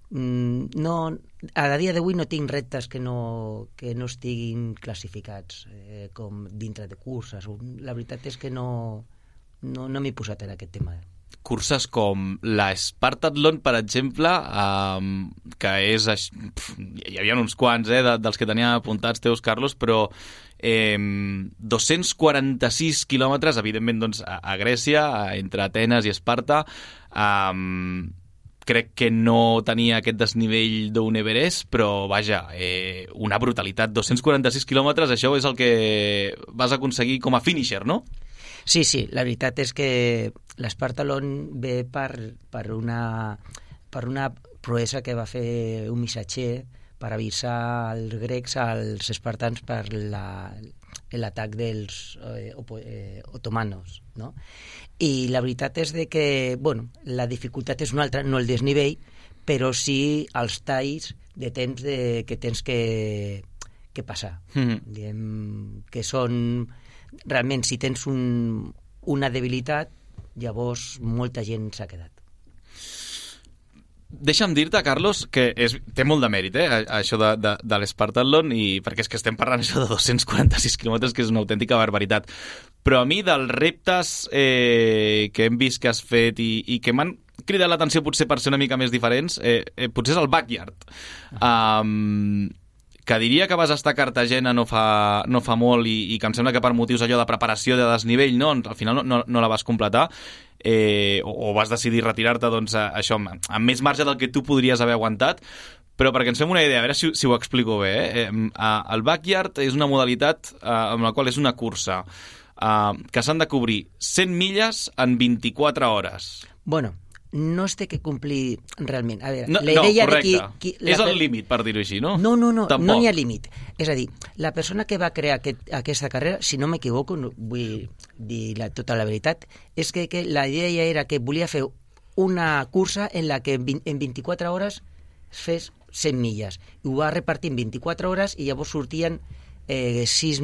a dia d'avui no tinc reptes que no estiguin classificats com dintre de curses. La veritat és que no m'he posat en aquest tema. Curses com la Spartathlon, per exemple, que és... Hi havia uns quants dels que tenia apuntats teus, Carlos, però 246 quilòmetres, evidentment, a Grècia, entre Atenes i Esparta. Crec que no tenia aquest desnivell d'un Everest, però vaja, una brutalitat. 246 quilòmetres, això és el que vas aconseguir com a finisher, no? Sí, la veritat és que l'Spartathlon ve per una proesa que va fer un missatger per avisar els grecs als espartans per l'atac dels otomanos, no? I la veritat és que, la dificultat és una altra, no el desnivell, però sí els talls de temps que tens que passar. Diguem que són... Realment, si tens una debilitat, llavors molta gent s'ha quedat. Deixa'm dir-te, Carlos, que té molt de mèrit, això de l'Spartathlon, perquè és que estem parlant això de 246 quilòmetres, que és una autèntica barbaritat. Però a mi, dels reptes que hem vist que has fet i que m'han cridat l'atenció potser per ser una mica més diferents, potser és el backyard. Que diria que vas estar a Cartagena no fa molt i que em sembla que per motius allò de preparació de desnivell al final no la vas completar, o vas decidir retirar-te això amb més marge del que tu podries haver aguantat. Però perquè ens fem una idea, a veure si ho explico bé. El backyard és una modalitat amb la qual és una cursa que s'han de cobrir 100 milles en 24 hores. Bueno, no es té que complir realment. A veure, No, la idea correcte. de qui És el límit, per dir-ho així, no? No Tampoc. n'hi ha límit. És a dir, la persona que va crear aquesta carrera, si no m'equivoco, no vull dir tota la veritat, és que la idea era que volia fer una cursa en la que en 24 hores fes 100 milles. I ho va repartir en 24 hores i llavors sortien 6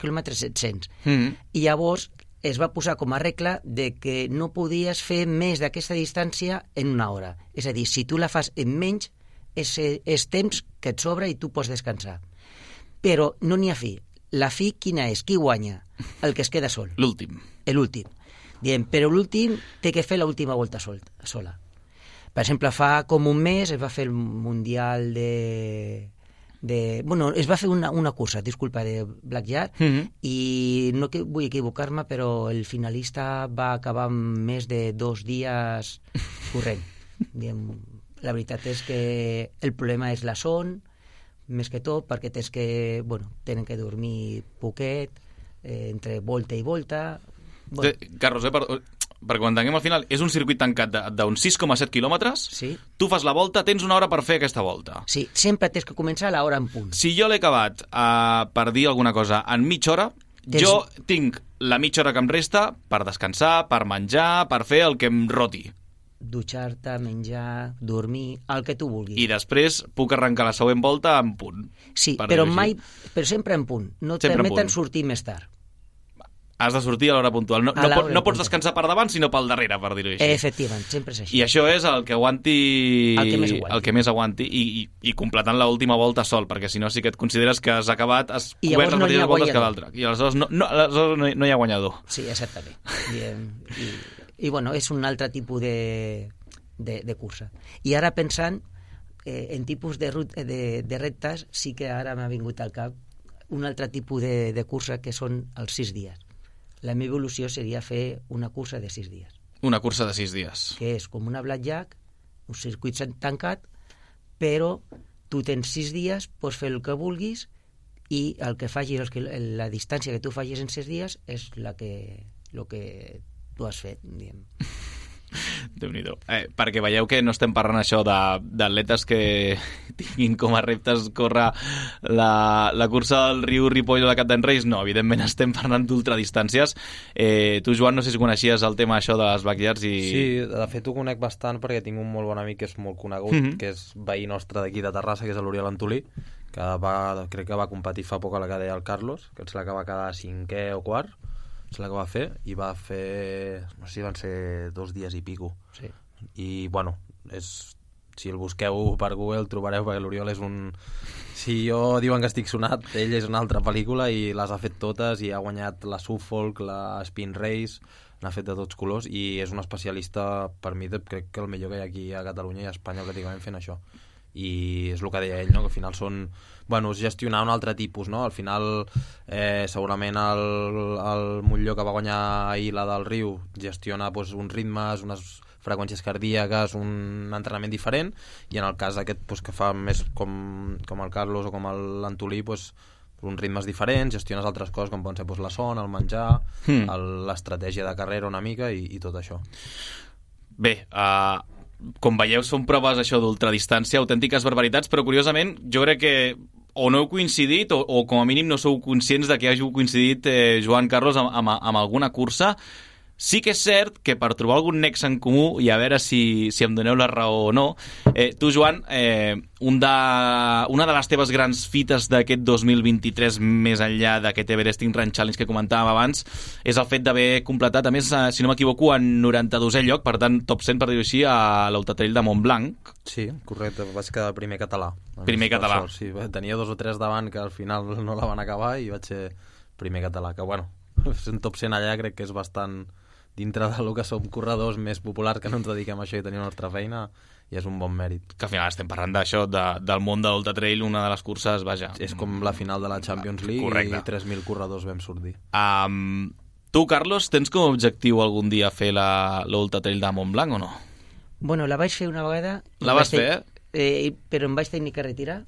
quilòmetres 700. I llavors es va posar com a regla de que no podies fer més d'aquesta distància en una hora. És a dir, si tu la fas en menys, és temps que et sobra i tu pots descansar. Però no n'hi ha fi. La fi quina és? Qui guanya? El que es queda sol. L'últim. L'últim. Però l'últim té que fer l'última volta sola. Per exemple, fa com un mes es va fer el Mundial bueno, es va fer una cursa, disculpa, de blackjack, i no vull equivocar-me, però el finalista va acabar amb més de 2 dies corrent. La veritat és que el problema és la son, més que tot, perquè tenen que dormir poquet, entre volta i volta. Bueno. Carlos, perquè quan entenguem al final, és un circuit tancat d'uns 6,7 quilòmetres, sí. Tu fas la volta, tens una hora per fer aquesta volta. Sí, sempre tens que començar a l'hora en punt. Si jo l'he acabat, per dir alguna cosa, en mitja hora, jo tinc la mitja hora que em resta per descansar, per menjar, per fer el que em roti. Dutxar-te, menjar, dormir, el que tu vulguis. I després puc arrencar la següent volta en punt. Sí, però sempre en punt. No et permeten sortir més tard. Has de sortir a l'hora puntual. No pots descansar per davant, sinó pel darrere, per dir-ho així. Efectivament, sempre és així. I això és el que aguanti... El que més aguanti. I completant l'última volta sol, perquè si no sí que et consideres que has acabat, has cobert les mateixes voltes que l'altre. I aleshores no hi ha guanyador. Sí, exactament. I bueno, és un altre tipus de cursa. I ara pensant en tipus de reptes, sí que ara m'ha vingut al cap un altre tipus de cursa que són els 6 dies. La meva evolució seria fer una cursa de 6 dies. Una cursa de 6 dies. Que és com una blackjack, un circuit tancat, però tu tens 6 dies, pots fer el que vulguis i el que facis, la distància que tu facis en 6 dies és el que tu has fet, diguem. Déu-n'hi-do. Perquè veieu que no estem parlant això d'atletes que tinguin com a reptes córrer la cursa del Riu Ripoll o la Cap d'en Reis. No, evidentment estem parlant d'ultradistàncies. Tu, Joan, no sé si coneixies el tema això de les backyards i... Sí, de fet ho conec bastant perquè tinc un molt bon amic que és molt conegut, que és veí nostre d'aquí de Terrassa, que és l'Oriol Antolí, que crec que va competir fa poc a la que deia el Carlos, que és la que va quedar 5è o 4º, és la que va fer, i va fer, no sé si van ser 2 dies i pico. Sí. I, bueno, si el busqueu per Google trobareu, perquè l'Oriol és un... Si jo diuen que estic sonat, ell és una altra pel·lícula i les ha fet totes i ha guanyat la Suffolk, la Spin Race, n'ha fet de tots colors i és un especialista, per mi, crec que el millor que hi ha aquí a Catalunya i a Espanya pràcticament fent això. I és el que deia ell, no? Que al final són... Bueno, és gestionar un altre tipus, no? Al final, segurament el Montllor que va guanyar ahir la del Riu gestiona uns ritmes, unes freqüències cardíaques, un entrenament diferent, i en el cas aquest que fa més com el Carlos o com l'Antolí, uns ritmes diferents, gestiones altres coses com poden ser la son, el menjar, l'estratègia de carrera una mica i tot això. Bé, com veieu, són proves això d'ultradistància, autèntiques barbaritats, però curiosament jo crec que o no heu coincidit o com a mínim no sou conscients de que hàgiu coincidit, Joan, Carlos, amb alguna cursa. Sí que és cert que per trobar algun nexe en comú, i a veure si em doneu la raó o no, tu, Joan, una de les teves grans fites d'aquest 2023, més enllà d'aquest Everesting Run Challenge que comentàvem abans, és el fet d'haver completat, a més, si no m'equivoco, en 92è lloc, per tant, top 100, per dir-ho així, a l'Ultratrail de Montblanc. Sí, correcte, vaig quedar primer català. Primer català. Sí, tenia 2 o 3 davant que al final no la van acabar i vaig ser primer català, que bueno, un top 100 allà crec que és bastant... dintre del que som corredors més populars que no ens dediquem a això i tenim la nostra feina, i és un bon mèrit. Que al final estem parlant d'això, del món de l'Ultratrail, una de les curses, vaja... És com la final de la Champions League. Correcte. I 3.000 corredors vam sortir. Tu, Carlos, tens com a objectiu algun dia fer l'Ultratrail de Montblanc o no? Bueno, la vaig fer una vegada... La vas fer? Però em vaig tenir que retirar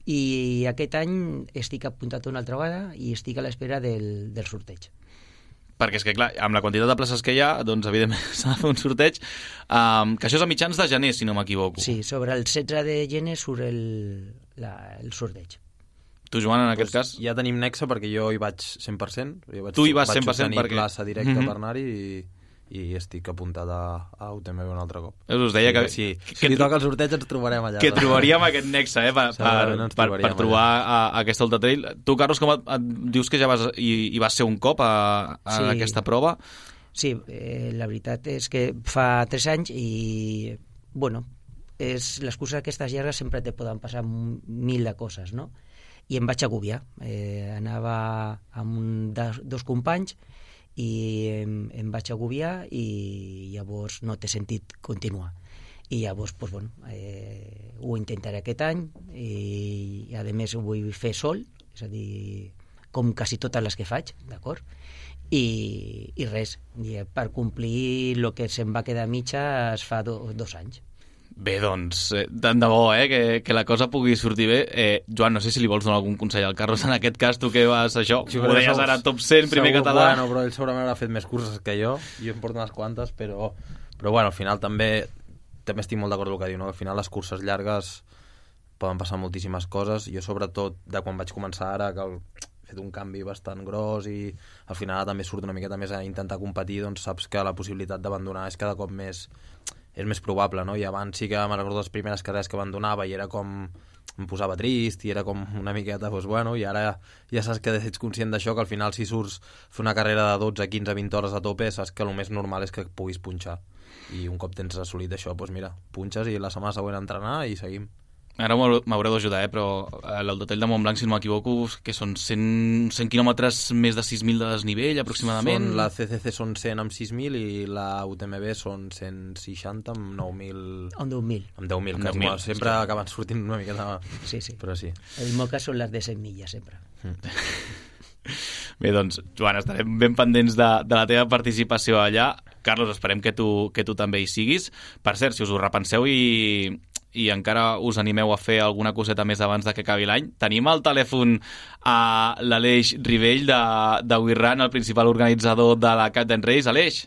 I aquest any estic apuntat una altra vegada i estic a l'espera del sorteig. Perquè és que, clar, amb la quantitat de places que hi ha, doncs, evidentment, s'ha de fer un sorteig, que això és a mitjans de gener, si no m'equivoco. Sí, sobre el 16 de gener surt el sorteig. Tu, Joan, en aquest cas? Ja tenim nexe perquè jo hi vaig 100%. Tu hi vas 100% vaig tenir perquè... plaça directa per anar-hi i estic apuntat a UTMB un altre cop. Us deia que... Si li toca el sorteig ens trobarem allà. Que trobaríem aquest nexe, per trobar aquesta Ultra Trail. Tu, Carlos, com dius que ja hi vas ser un cop a aquesta prova? Sí, la veritat és que fa 3 anys i, bueno, les curses aquestes llargues sempre te poden passar 1000 de coses, no? I em vaig agobiar. Anava amb 2 companys i em vaig agobiar i llavors no té sentit continuar. I llavors, doncs, bueno, ho intentaré aquest any i a més ho vull fer sol, és a dir, com quasi totes les que faig, d'acord? I res, per complir el que se'm va quedar mitja es fa 2 anys. Bé, doncs, tant de bo, que la cosa pugui sortir bé. Joan, no sé si li vols donar algun consell al Carlos en aquest cas, tu que vas això, ho deies ara top 100, primer català. Bueno, però ell segurament haurà fet més curses que jo em porto unes quantes, però bueno, al final també estic molt d'acord amb el que diu, no? Al final les curses llargues poden passar moltíssimes coses. Jo, sobretot, de quan vaig començar ara, que he fet un canvi bastant gros i al final també surt una miqueta més a intentar competir, doncs saps que la possibilitat d'abandonar és cada cop més probable, no? I abans sí que me'n recordo les primeres carreres que abandonava i era com... em posava trist i era com una miqueta, doncs bueno, i ara ja saps que ets conscient d'això, que al final si surts fer una carrera de 12, 15, 20 hores a tope, saps que el més normal és que puguis punxar. I un cop tens assolit això, doncs mira, punxes i la setmana següent entrenar i seguim. Ara m'haureu d'ajudar, però l'Ultra de Montblanc, si no m'equivoco, que són 100 quilòmetres més de 6.000 de desnivell, aproximadament. La CCC són 100 amb 6.000 i la UTMB són 160 amb 9.000... Amb 10.000. Amb 10.000, que 10 sempre acaben sortint una miqueta... Sí. Però sí. El meu cas són les de 100 milles, sempre. Bé, doncs, Joan, estarem ben pendents de la teva participació allà. Carlos, esperem que tu també hi siguis. Per cert, si us ho repenseu i encara us animeu a fer alguna coseta més abans de que acabi l'any, tenim al telèfon a l'Aleix Rivell de WeRun, el principal organitzador de la Captain Race. Aleix.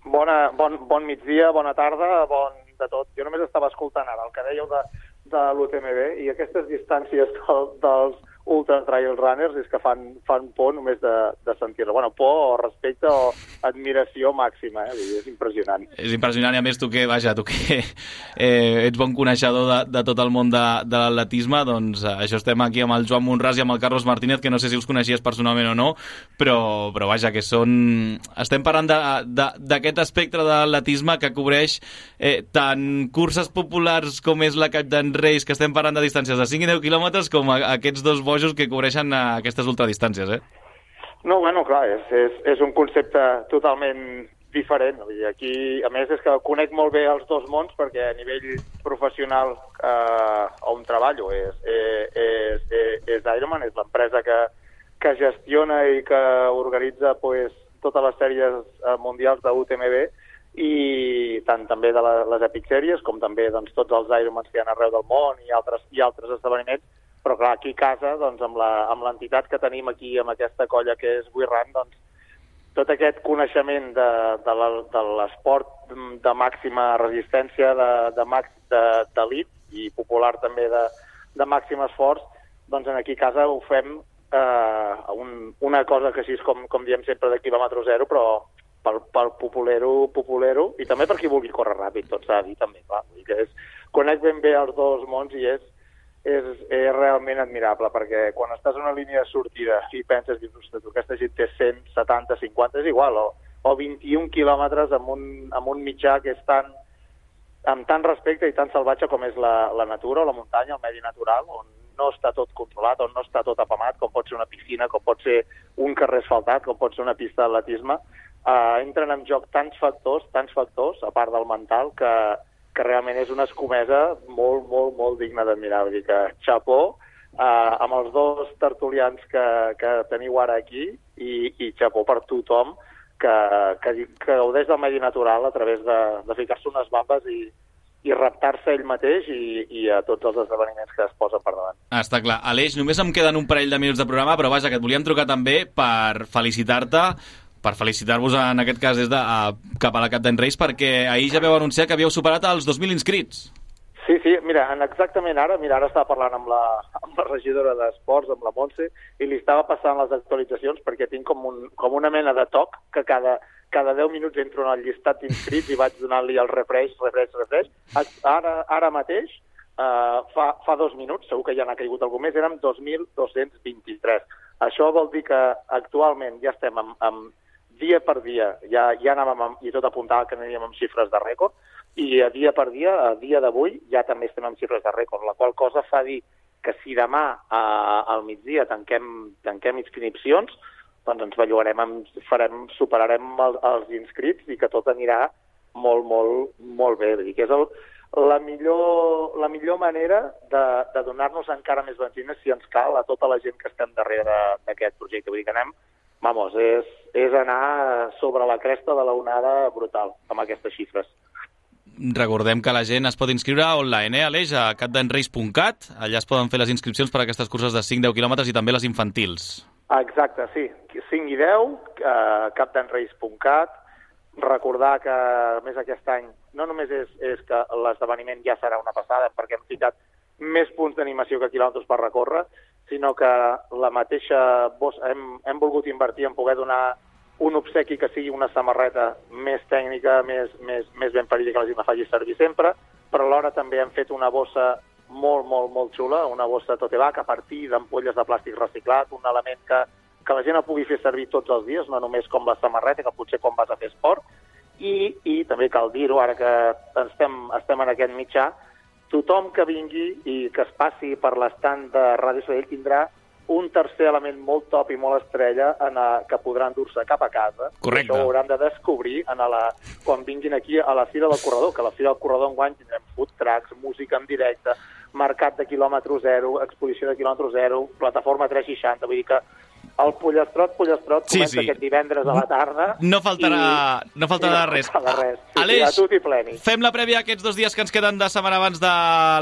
Bon migdia, bona tarda, bon de tot. Jo només estava escoltant ara el que dèieu de l'UTMB i aquestes distàncies dels ultra trail runners és que fan por només de sentir-lo. Bueno, por o respecte o admiració màxima, és impressionant. És impressionant, i a més tu que ets bon coneixedor de tot el món de l'atletisme, doncs això estem aquí amb el Joan Monràs i amb el Carlos Martínez, que no sé si us coneixies personalment o no, però vaja, que estem parlant d'aquest espectre de l'atletisme que cobreix tant curses populars com és la Captain Race, que estem parlant de distàncies de 5 i 10 quilòmetres, com aquests dos bojos que cobreixen aquestes ultradistàncies, No, bueno, clar, és un concepte totalment diferent. Aquí, a més, és que conec molt bé els dos mons perquè a nivell professional on treballo és Ironman, és l'empresa que gestiona i que organitza totes les sèries mundials de UTMB i tant també de les Epic Series com també tots els Ironmans que hi ha arreu del món i altres esdeveniments. Però clar, aquí a casa, amb l'entitat que tenim aquí, amb aquesta colla que és WeRun, tot aquest coneixement de l'esport de màxima resistència, d'elit i popular també de màxim esforç, doncs aquí a casa ho fem una cosa que així és com diem sempre de quilòmetre zero, però pel populero i també per qui vulgui córrer ràpid, tot s'ha de dir també, clar. Conec ben bé els dos mons i és realment admirable, perquè quan estàs en una línia de sortida i penses que aquesta gent té 100, 70, 50, és igual, o 21 quilòmetres amb un mitjà que és amb tant respecte i tan salvatge com és la natura o la muntanya, el medi natural, on no està tot controlat, on no està tot apamat, com pot ser una piscina, com pot ser un carrer asfaltat, com pot ser una pista d'atletisme. Entren en joc tants factors, a part del mental, que realment és una escomesa molt, molt, molt digna d'admirar. Vull dir que xapó amb els dos tertulians que teniu ara aquí i xapó per tothom que gaudeix del medi natural a través de ficar-se unes bambes i reptar-se ell mateix i a tots els esdeveniments que es posen per davant. Està clar. Aleix, només em queden un parell de minuts de programa, però vaja, que et volíem trucar també per felicitar-te, per felicitar-vos en aquest cas des de cap a la Cap d'Any Reis, perquè ahir ja vau anunciar que havíeu superat els 2.000 inscrits. Sí, mira, exactament ara estava parlant amb la regidora d'Esports, amb la Montse, i li estava passant les actualitzacions perquè tinc com una mena de toc que cada 10 minuts entro en el llistat d'inscrits i vaig donant-li el refresh. Ara mateix, fa 2 minuts, segur que ja n'ha caigut algú més, érem 2.223. Això vol dir que actualment ja estem amb dia per dia, ja anàvem, i tot apuntava que aniríem amb xifres de rècord, i a dia per dia, a dia d'avui, ja també estem amb xifres de rècord, la qual cosa fa dir que si demà al migdia tanquem inscripcions, doncs ens bellugarem, superarem els inscrits i que tot anirà molt, molt, molt bé. Vull dir que és la millor manera de donar-nos encara més benzina, si ens cal, a tota la gent que estem darrere d'aquest projecte. Vull dir que anem, és anar sobre la cresta de l'onada brutal amb aquestes xifres. Recordem que la gent es pot inscriure online, Aleix, a capdanreis.cat. Allà es poden fer les inscripcions per a aquestes curses de 5-10 quilòmetres i també les infantils. Exacte, sí. 5 i 10, capdanreis.cat. Recordar que, a més, aquest any no només és que l'esdeveniment ja serà una passada, perquè hem ficat més punts d'animació que quilòmetres per recórrer, sinó que la mateixa hem volgut invertir en poder donar un obsequi que sigui una samarreta més tècnica, més ben parida, que la gent la faci servir sempre, però alhora també hem fet una bossa molt, molt, molt xula, una bossa tote bag a partir d'ampolles de plàstic reciclat, un element que la gent el pugui fer servir tots els dies, no només com la samarreta, que potser quan vas a fer esport, i també cal dir-ho, ara que estem en aquest mitjà, tothom que vingui i que es passi per l'estand de Ràdio Sabadell tindrà un tercer element molt top i molt estrella que podran endur-se cap a casa. Correcte. Això ho hauran de descobrir quan vinguin aquí a la Fira del Corredor, que a la Fira del Corredor enguany tindrem food trucks, música en directe, mercat de quilòmetre zero, exposició de quilòmetre zero, plataforma 360, vull dir que el Pollastrot comença aquest divendres a la tarda. No faltarà res. Aleix, a tutti pleni. Fem la prèvia aquests 2 dies que ens queden de setmana abans de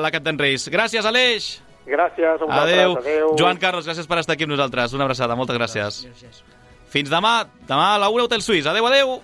la Cap d'Any Reis. Gràcies, Aleix! Gràcies a vosaltres. Adéu. Joan Carlos, gràcies per estar aquí amb nosaltres. Una abraçada, moltes gràcies. Fins demà. Demà a la 1 Hotel Suís. Adéu.